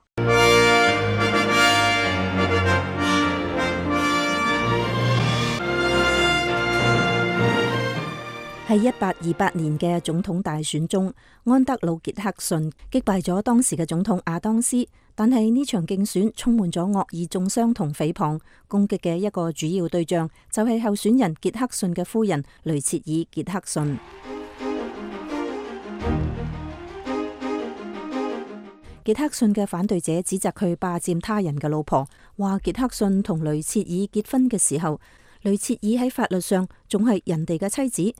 喺1828年嘅總統大選中，安德魯傑克遜擊敗咗當時嘅總統亞當斯，但係呢場競選充滿咗惡意中傷同誹謗，攻擊嘅一個主要對象就係候選人傑克遜嘅夫人雷切爾·傑克遜。傑克遜嘅反對者指責佢霸佔他人嘅老婆，話傑克遜同雷切爾結婚嘅時候，雷切爾喺法律上仲係人哋嘅妻子。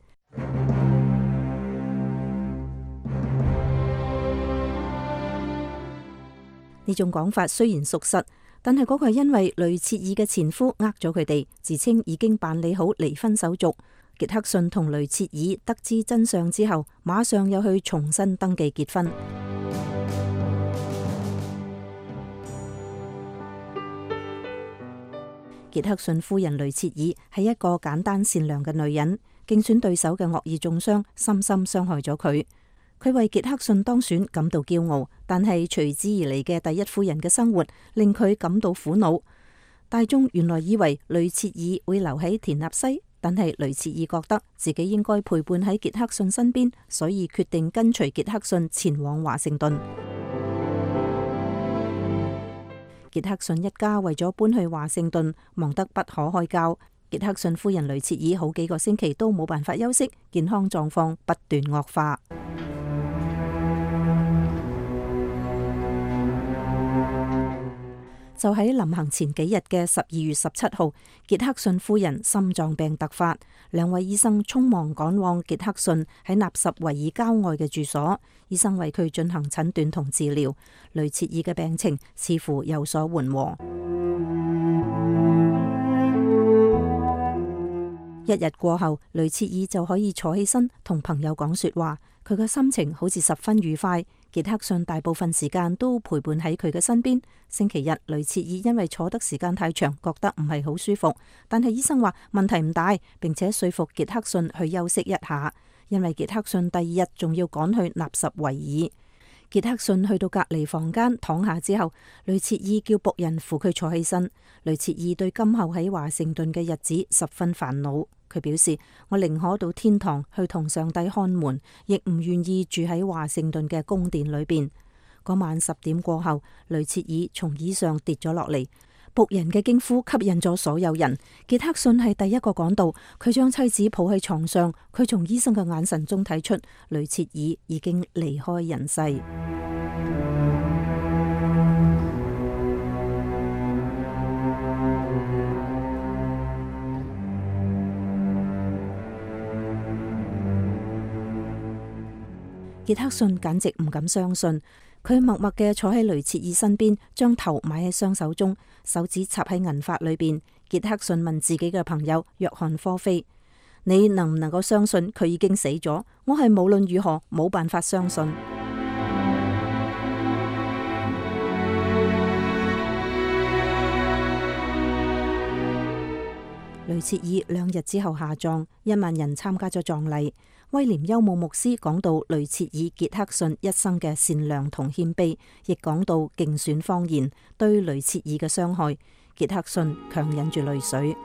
呢種講法雖然屬實，但係嗰個係因為雷切爾嘅前夫呃咗佢哋，自稱已經辦理好離婚手續。傑克遜同雷切爾得知真相之後，馬上又去重新登記結婚。傑克遜夫人雷切爾係一個簡單善良嘅女人，競選對手嘅惡意中傷深深傷害咗佢。佢為傑克遜當選感到驕傲，但係隨之而嚟嘅第一夫人嘅生活令佢感到苦惱。大眾原來以為雷切爾會留喺田納西，但係雷切爾覺得自己應該陪伴喺傑克遜身邊，所以決定跟隨傑克遜前往華盛頓。傑克遜一家為咗搬去華盛頓，忙得不可開交。傑克遜夫人雷切爾好幾個星期都冇辦法休息，健康狀況不斷惡化。就喺臨行前幾日嘅12月17號，傑克遜夫人心臟病突發，兩位醫生匆忙趕往傑克遜喺納什維爾郊外嘅住所，醫生為佢進行診斷同治療。雷切爾嘅病情似乎有所緩和。一日過後，雷切爾就可以坐起身同朋友講說話，佢嘅心情好似十分愉快。傑克遜大部分時間都陪伴喺佢嘅身邊。星期日，雷切爾因為坐得時間太長，覺得唔係好舒服，但係醫生話問題唔大，並且說服傑克遜去休息一下，因為傑克遜第二日仲要趕去納什維爾。傑克遜去到隔離房間躺下之後，雷切爾叫僕人扶佢坐起身。雷切爾對今後喺華盛頓嘅日子十分煩惱。佢表示：我寧可到天堂去同上帝看門，亦唔願意住喺華盛頓嘅宮殿裏邊。嗰晚10點過後，雷切爾從椅上跌咗落嚟，僕人嘅驚呼吸引咗所有人。傑克遜係第一個趕到，佢將妻子抱喺床上。佢從醫生嘅眼神中睇出雷切爾已經離開人世。傑克遜簡直唔敢相信，佢默默嘅坐喺雷切爾身邊，將頭埋喺雙手中，手指插喺銀髮裏邊。傑克遜問自己嘅朋友約翰科菲：你能唔能夠相信佢已經死咗？我係無論如何冇辦法相信。雷切爾2日之後下葬，1萬人參加咗葬禮。威廉休姆牧師講到雷切爾傑克遜一生嘅善良同謙卑，亦講到競選謊言對雷切爾嘅傷害。傑克遜強忍住淚水。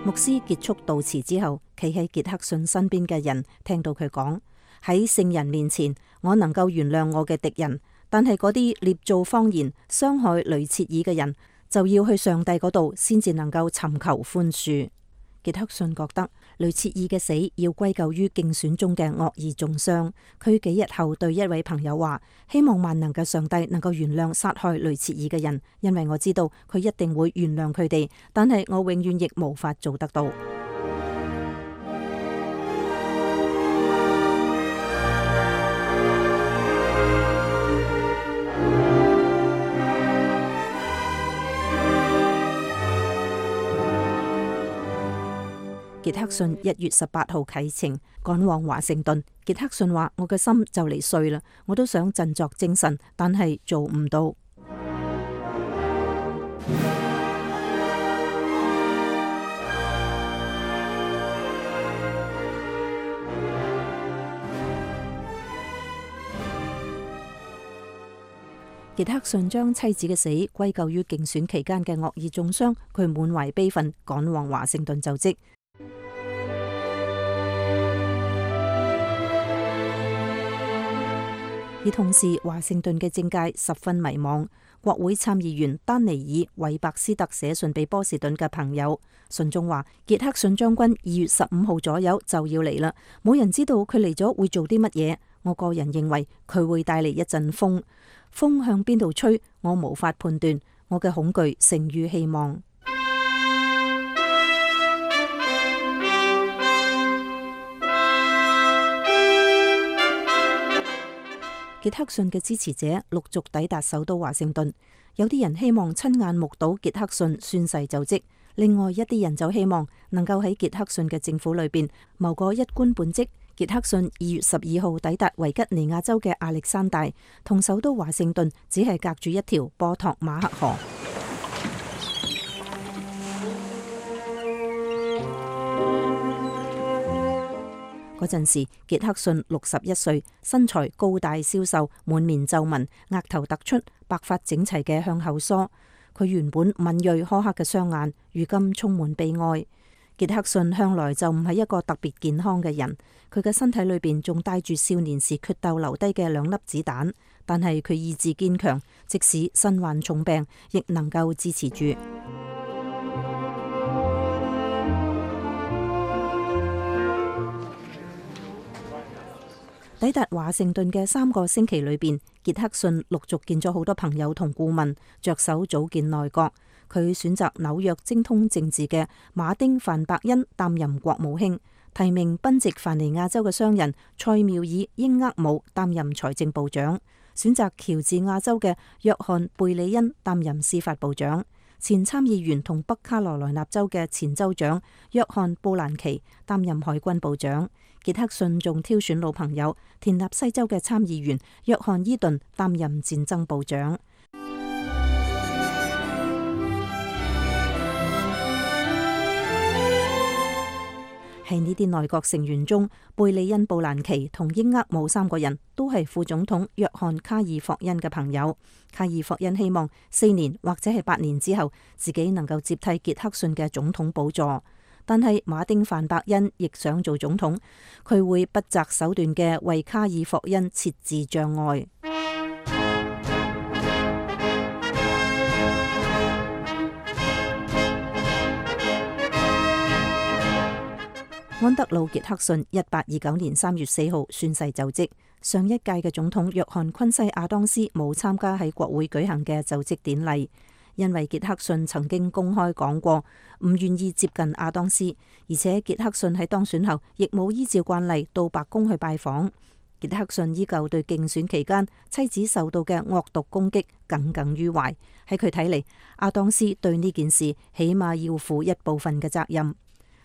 牧師結束悼詞之後，企喺傑克遜身邊嘅人聽到佢講：喺聖人面前，我能夠原諒我嘅敵人。但係嗰啲捏造謊言傷害雷切爾嘅人，就要去上帝嗰度先至能夠尋求寬恕。傑克遜覺得雷切爾嘅死要歸咎於競選中嘅惡意中傷。佢幾日後對一位朋友話：希望萬能嘅上帝能夠原諒殺害雷切爾嘅人，因為我知道佢一定會原諒佢哋，但係我永遠亦無法做得到。傑克遜1月18號啟程趕往華盛頓。傑克遜話：我嘅心就嚟碎啦，我都想振作精神，但係做唔到。傑克遜將妻子嘅死歸咎於競選期間嘅惡意中傷，佢滿懷悲憤趕往華盛頓就職。而同時，華盛頓嘅政界十分迷茫。國會參議員丹尼爾·韋伯斯特寫信俾波士頓嘅朋友，信中話：傑克遜將軍2月15號左右就要嚟啦，冇人知道佢嚟咗會做啲乜嘢。我個人認為佢會帶嚟一陣風，風向邊度吹，我無法判斷。我嘅恐懼勝於希望。傑克遜嘅支持者陸續抵達首都華盛頓，有啲人希望親眼目睹傑克遜宣誓就職，另外一啲人就希望能夠喺傑克遜嘅政府裏邊謀個一官半職，傑克遜2月12號抵達維吉尼亞州嘅亞歷山大，同首都華盛頓只係隔住一條波托馬克河。嗰陣時，傑克遜61歲，身材高大消瘦，滿面皺紋，額頭突出，白髮整齊嘅向後梳。佢原本敏銳苛刻嘅雙眼，如今充滿悲哀。傑克遜向來就唔係一個特別健康嘅人，佢嘅身體裏邊仲帶住少年時決鬥留低嘅2粒子彈，但係佢意志堅強，即使身患重病，亦能夠支持住。抵達華盛頓嘅3個星期裏邊，傑克遜陸續見咗好多朋友同顧問，着手組建內閣。佢選擇紐約精通政治嘅馬丁范伯恩擔任國務卿，提名賓夕凡尼亞州嘅商人塞繆爾英厄姆擔任財政部長，選擇喬治亞州嘅約翰貝里恩擔任司法部長，前參議員同北卡羅來納州嘅前州長約翰布蘭奇擔任海軍部長。傑克遜仲挑選老朋友田納西州嘅參議員約翰伊頓擔任戰爭部長。喺呢啲內閣成員中，貝利恩、布蘭奇同英厄姆3個人都係副總統約翰卡爾霍恩嘅朋友。卡爾霍恩希望4年或者係8年之後，自己能夠接替傑克遜嘅總統寶座。但係馬丁范伯恩亦想做總統，佢會不擇手段嘅為卡爾霍恩設置障礙。安德魯·傑克遜1829年3月4號宣誓就職。上一屆嘅總統約翰·昆西亞當斯冇參加喺國會舉行嘅就職典禮，因為傑克遜曾經公開講過唔願意接近亞當斯，而且傑克遜喺當選後亦冇依照慣例到白宮去拜訪。傑克遜依舊對競選期間妻子受到嘅惡毒攻擊耿耿於懷。喺佢睇嚟，亞當斯對呢件事起碼要負一部分嘅責任。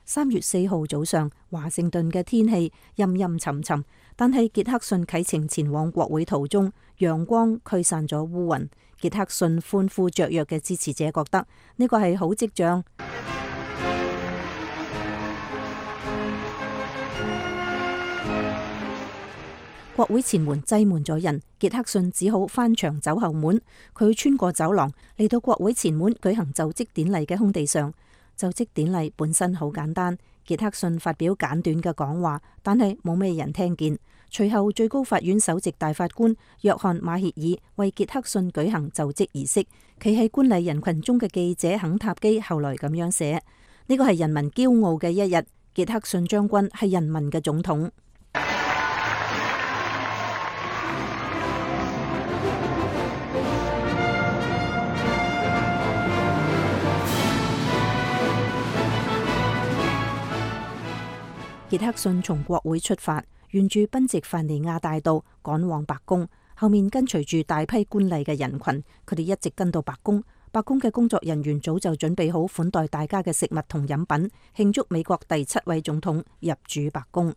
3月4號早上，華盛頓嘅天氣陰陰沉沉，但係傑克遜啟程前往國會途中，陽光驅散咗烏雲。傑克遜歡呼雀躍嘅支持者覺得呢個係好跡象。國會前門擠滿咗人，傑克遜只好翻牆走後門。佢穿過走廊嚟到國會前門舉行就職典禮嘅空地上。就職典禮本身好簡單，傑克遜發表簡短嘅講話，但係冇咩人聽見。隨後最高法院首席大法官約翰馬歇爾為傑克遜舉行就職儀式。企喺觀禮人群中嘅記者肯塔基後來咁樣寫：呢個係人民驕傲嘅一日，傑克遜將軍係人民嘅總統。傑克遜從國會出發，沿住賓夕凡尼亞大道趕往白宮，後面跟隨住大批觀禮嘅人群，佢哋一直跟到白宮。白宮嘅工作人員早就準備好款待大家嘅食物同飲品，慶祝美國第7位總統入主白宮。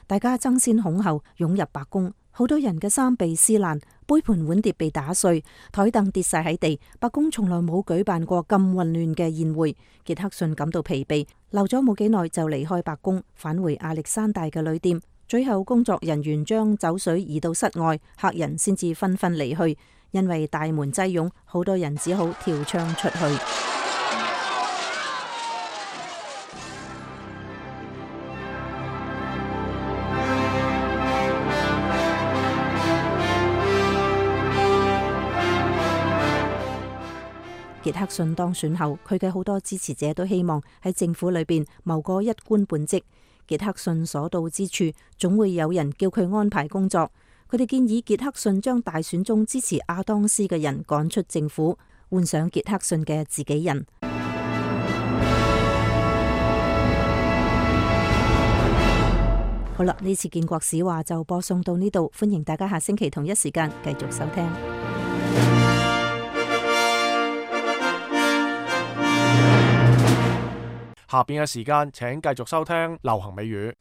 大家爭先恐後湧入白宮，好多人嘅衫被撕爛，杯盤碗碟被打碎，台凳跌晒喺地。白宮從來冇舉辦過咁混亂嘅宴會。傑克遜感到疲憊，留咗冇幾耐就離開白宮，返回亞歷山大嘅旅店。最後工作人員將酒水移到室外，客人先至紛紛離去。因為大門擠擁，好多人只好跳窗出去。傑克遜當選後，佢嘅好多支持者都希望喺政府裏邊謀個一官半職。傑克遜所到之處，總會有人叫佢安排工作。佢哋建議傑克遜將大選中支持亞當斯嘅人趕出政府，換上傑克遜嘅自己人。好啦，呢次建國史話就播送到呢度，歡迎大家下星期同一時間繼續收聽。下邊嘅時間，請繼續收聽流行美語。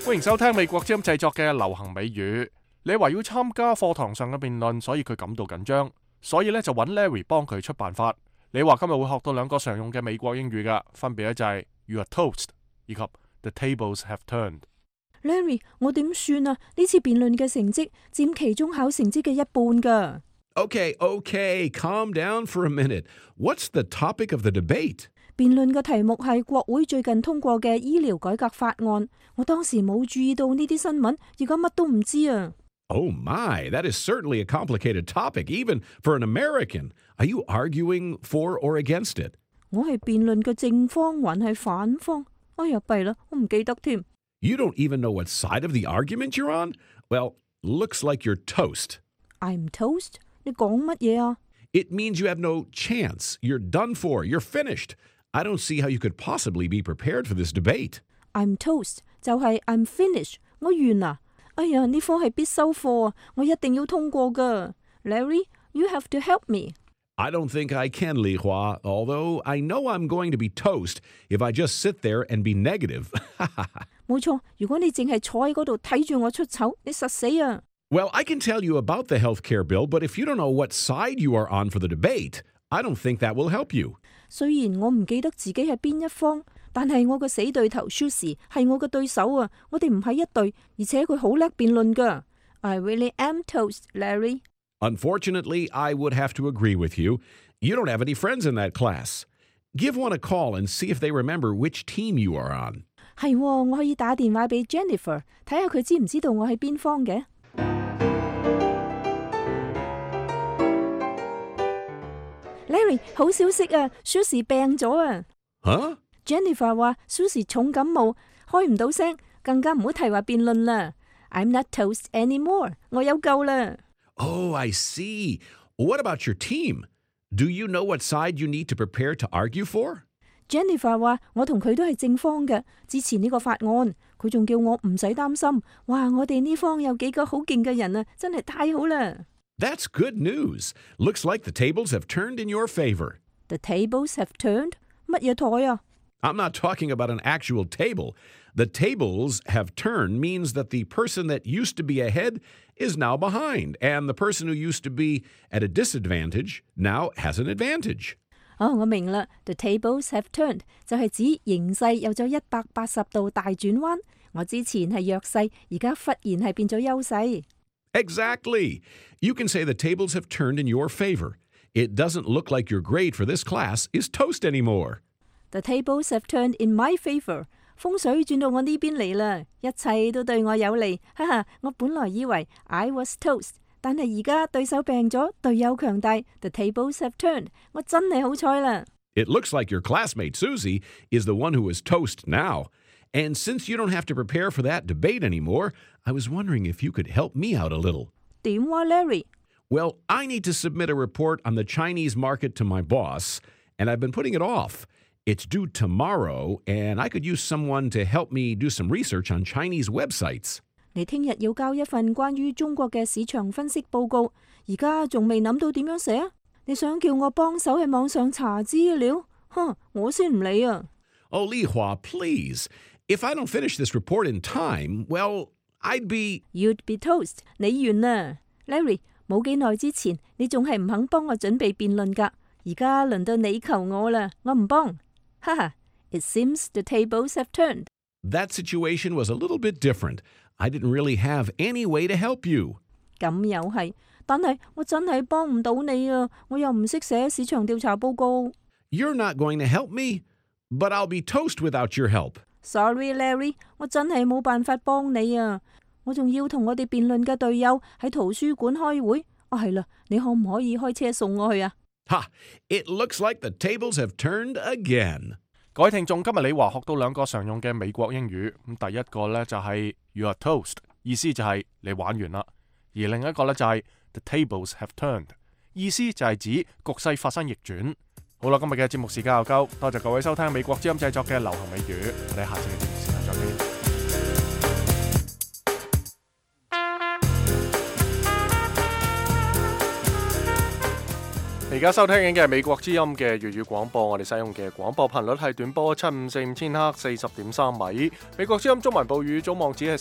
歡迎收聽美國之音製作嘅流行美語。你話要參加課堂上嘅辯論，所以佢感到緊張，所以咧就揾 Larry 幫佢出辦法。你話今日會學到兩個常用嘅美國英語噶，分別咧就係 You are toast 以及 The tables have turned。Larry， 我點算啊？呢次辯論嘅成績佔期中考成績嘅一半噶。Okay, calm down for a minute. What's the topic of the debate? 辯論嘅題目係國會最近通過嘅醫療改革法案。我當時冇注意到呢啲新聞，而家乜都唔知啊。Oh my, that is certainly a complicated topic, even for an American. Are you arguing for or against it? 我係辯論嘅正方還係反方？哎呀，弊啦，我唔記得添。You don't even know what side of the argument you're on? Well, looks like you're toast. I'm toast? 你講乜嘢啊？ It means you have no chance. You're done for. You're finished. I don't see how you could possibly be prepared for this debate. I'm toast 就係 I'm finished 我完啦。哎呀，呢科係必修課啊，我一定要通過㗎。Larry, you have to help me. I don't think I can, Li Hua, although I know I'm going to be toast if I just sit there and be negative. 冇錯，如果你淨係坐喺嗰度睇住我出醜，你實死啊。Well, I can tell you about the health care bill, but if you don't know what side you are on for the debate, I don't think that will help you. 雖然我唔記得自己係邊一方，但係我個死對頭 Susie 係我嘅對手啊！我哋唔係一隊，而且佢好叻辯論㗎。I really am toast, Larry. Unfortunately, I would have to agree with you. You don't have any friends in that class. Give one a call and see if they remember which team you are on. 係，我可以打電話俾 Jennifer， 睇下佢知唔知道我係邊方嘅。Larry， 好消息啊 ！Susie 病咗啊！吓 ？Jennifer 話 Susie 重感冒，開唔到聲，更加唔好提話辯論啦。I'm not toast anymore， 我有救啦。Oh, I see. What about your team? Do you know what side you need to prepare to argue for? Jennifer 話我同佢都係正方嘅，支持呢個法案。佢仲叫我唔使擔心。哇！我哋呢方有幾個好勁嘅人啊，真係太好啦！ That's good news. Looks like the tables have turned in your favor. The tables have turned? 乜嘢台啊？ I'm not talking about an actual table. The tables have turned means that the person that used to be ahead is now behind, and the person who used to be at a disadvantage now has an advantage. 我明啦。The tables have turned 就係指形勢有咗180度大轉彎。我之前係弱勢，而家忽然係變咗優勢。Exactly. You can say the tables have turned in your favor. It doesn't look like your grade for this class is toast anymore. The tables have turned in my favor. 風水轉到我呢邊嚟啦，一切都對我有利。哈哈，我本來以為 I was toast， 但係而家對手病咗，隊友強大。The tables have turned. 我真係好彩啦。It looks like your classmate Susie is the one who is toast now. And since you don't have to prepare for that debate anymore, I was wondering if you could help me out a little. 點話 Larry? Well, I need to submit a report on the Chinese market to my boss, and I've been putting it off. It's due tomorrow, and I could use someone to help me do some research on Chinese websites. 你聽日要交一份關於中國嘅市場分析報告，而家仲未諗到點樣寫？你想叫我幫手喺網上查資料？我先唔理啊！ Oh, Li Hua, please. If I don't finish this report in time, well, I'd be... You'd be toast. 你完啦 ，Larry。冇幾耐之前，你仲係唔肯幫我準備辯論㗎。而家輪到你求我啦，我唔幫。哈哈 ，It seems the tables have turned. That situation was a little bit different. I didn't really have any way to help you. 咁又係，但係我真係幫唔到你啊！我又唔識寫市場調查報告。You're not going to help me, but I'll be toast without your help. Sorry, Larry， 我真係冇辦法幫你啊！我仲要同我哋辯論嘅隊友喺圖書館開會。係啦，你可唔可以開車送我去啊？ Ha! It looks like the tables have turned again. 各位聽眾，今日李華學到兩個常用嘅美國英語。咁第一個呢就係 You are toast， 意思就係你玩完啦。而另一個呢就係 The tables have turned， 意思就係指局勢發生逆轉。好啦，今日嘅節目時間又夠，多謝各位收聽美國之音製作嘅流行美語。我哋下次嘅節目時間再見。而家收聽緊嘅係美國之音嘅粵語廣播，我哋使用嘅廣播頻率係短波754千赫40.3米。美國之音中文報語總網址係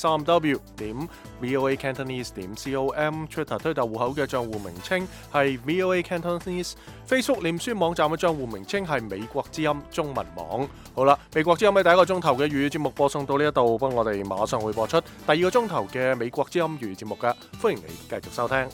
3w.voacantonese.com， Twitter 推特戶口嘅賬戶名稱係 VOA Cantonese， Facebook 臉書網站嘅賬戶名稱係美國之音中文網。好啦，美國之音喺第一個鐘頭嘅粵語節目播送到呢一度，不過我哋馬上會播出第二個鐘頭嘅美國之音粵語節目㗎，歡迎你繼續收聽。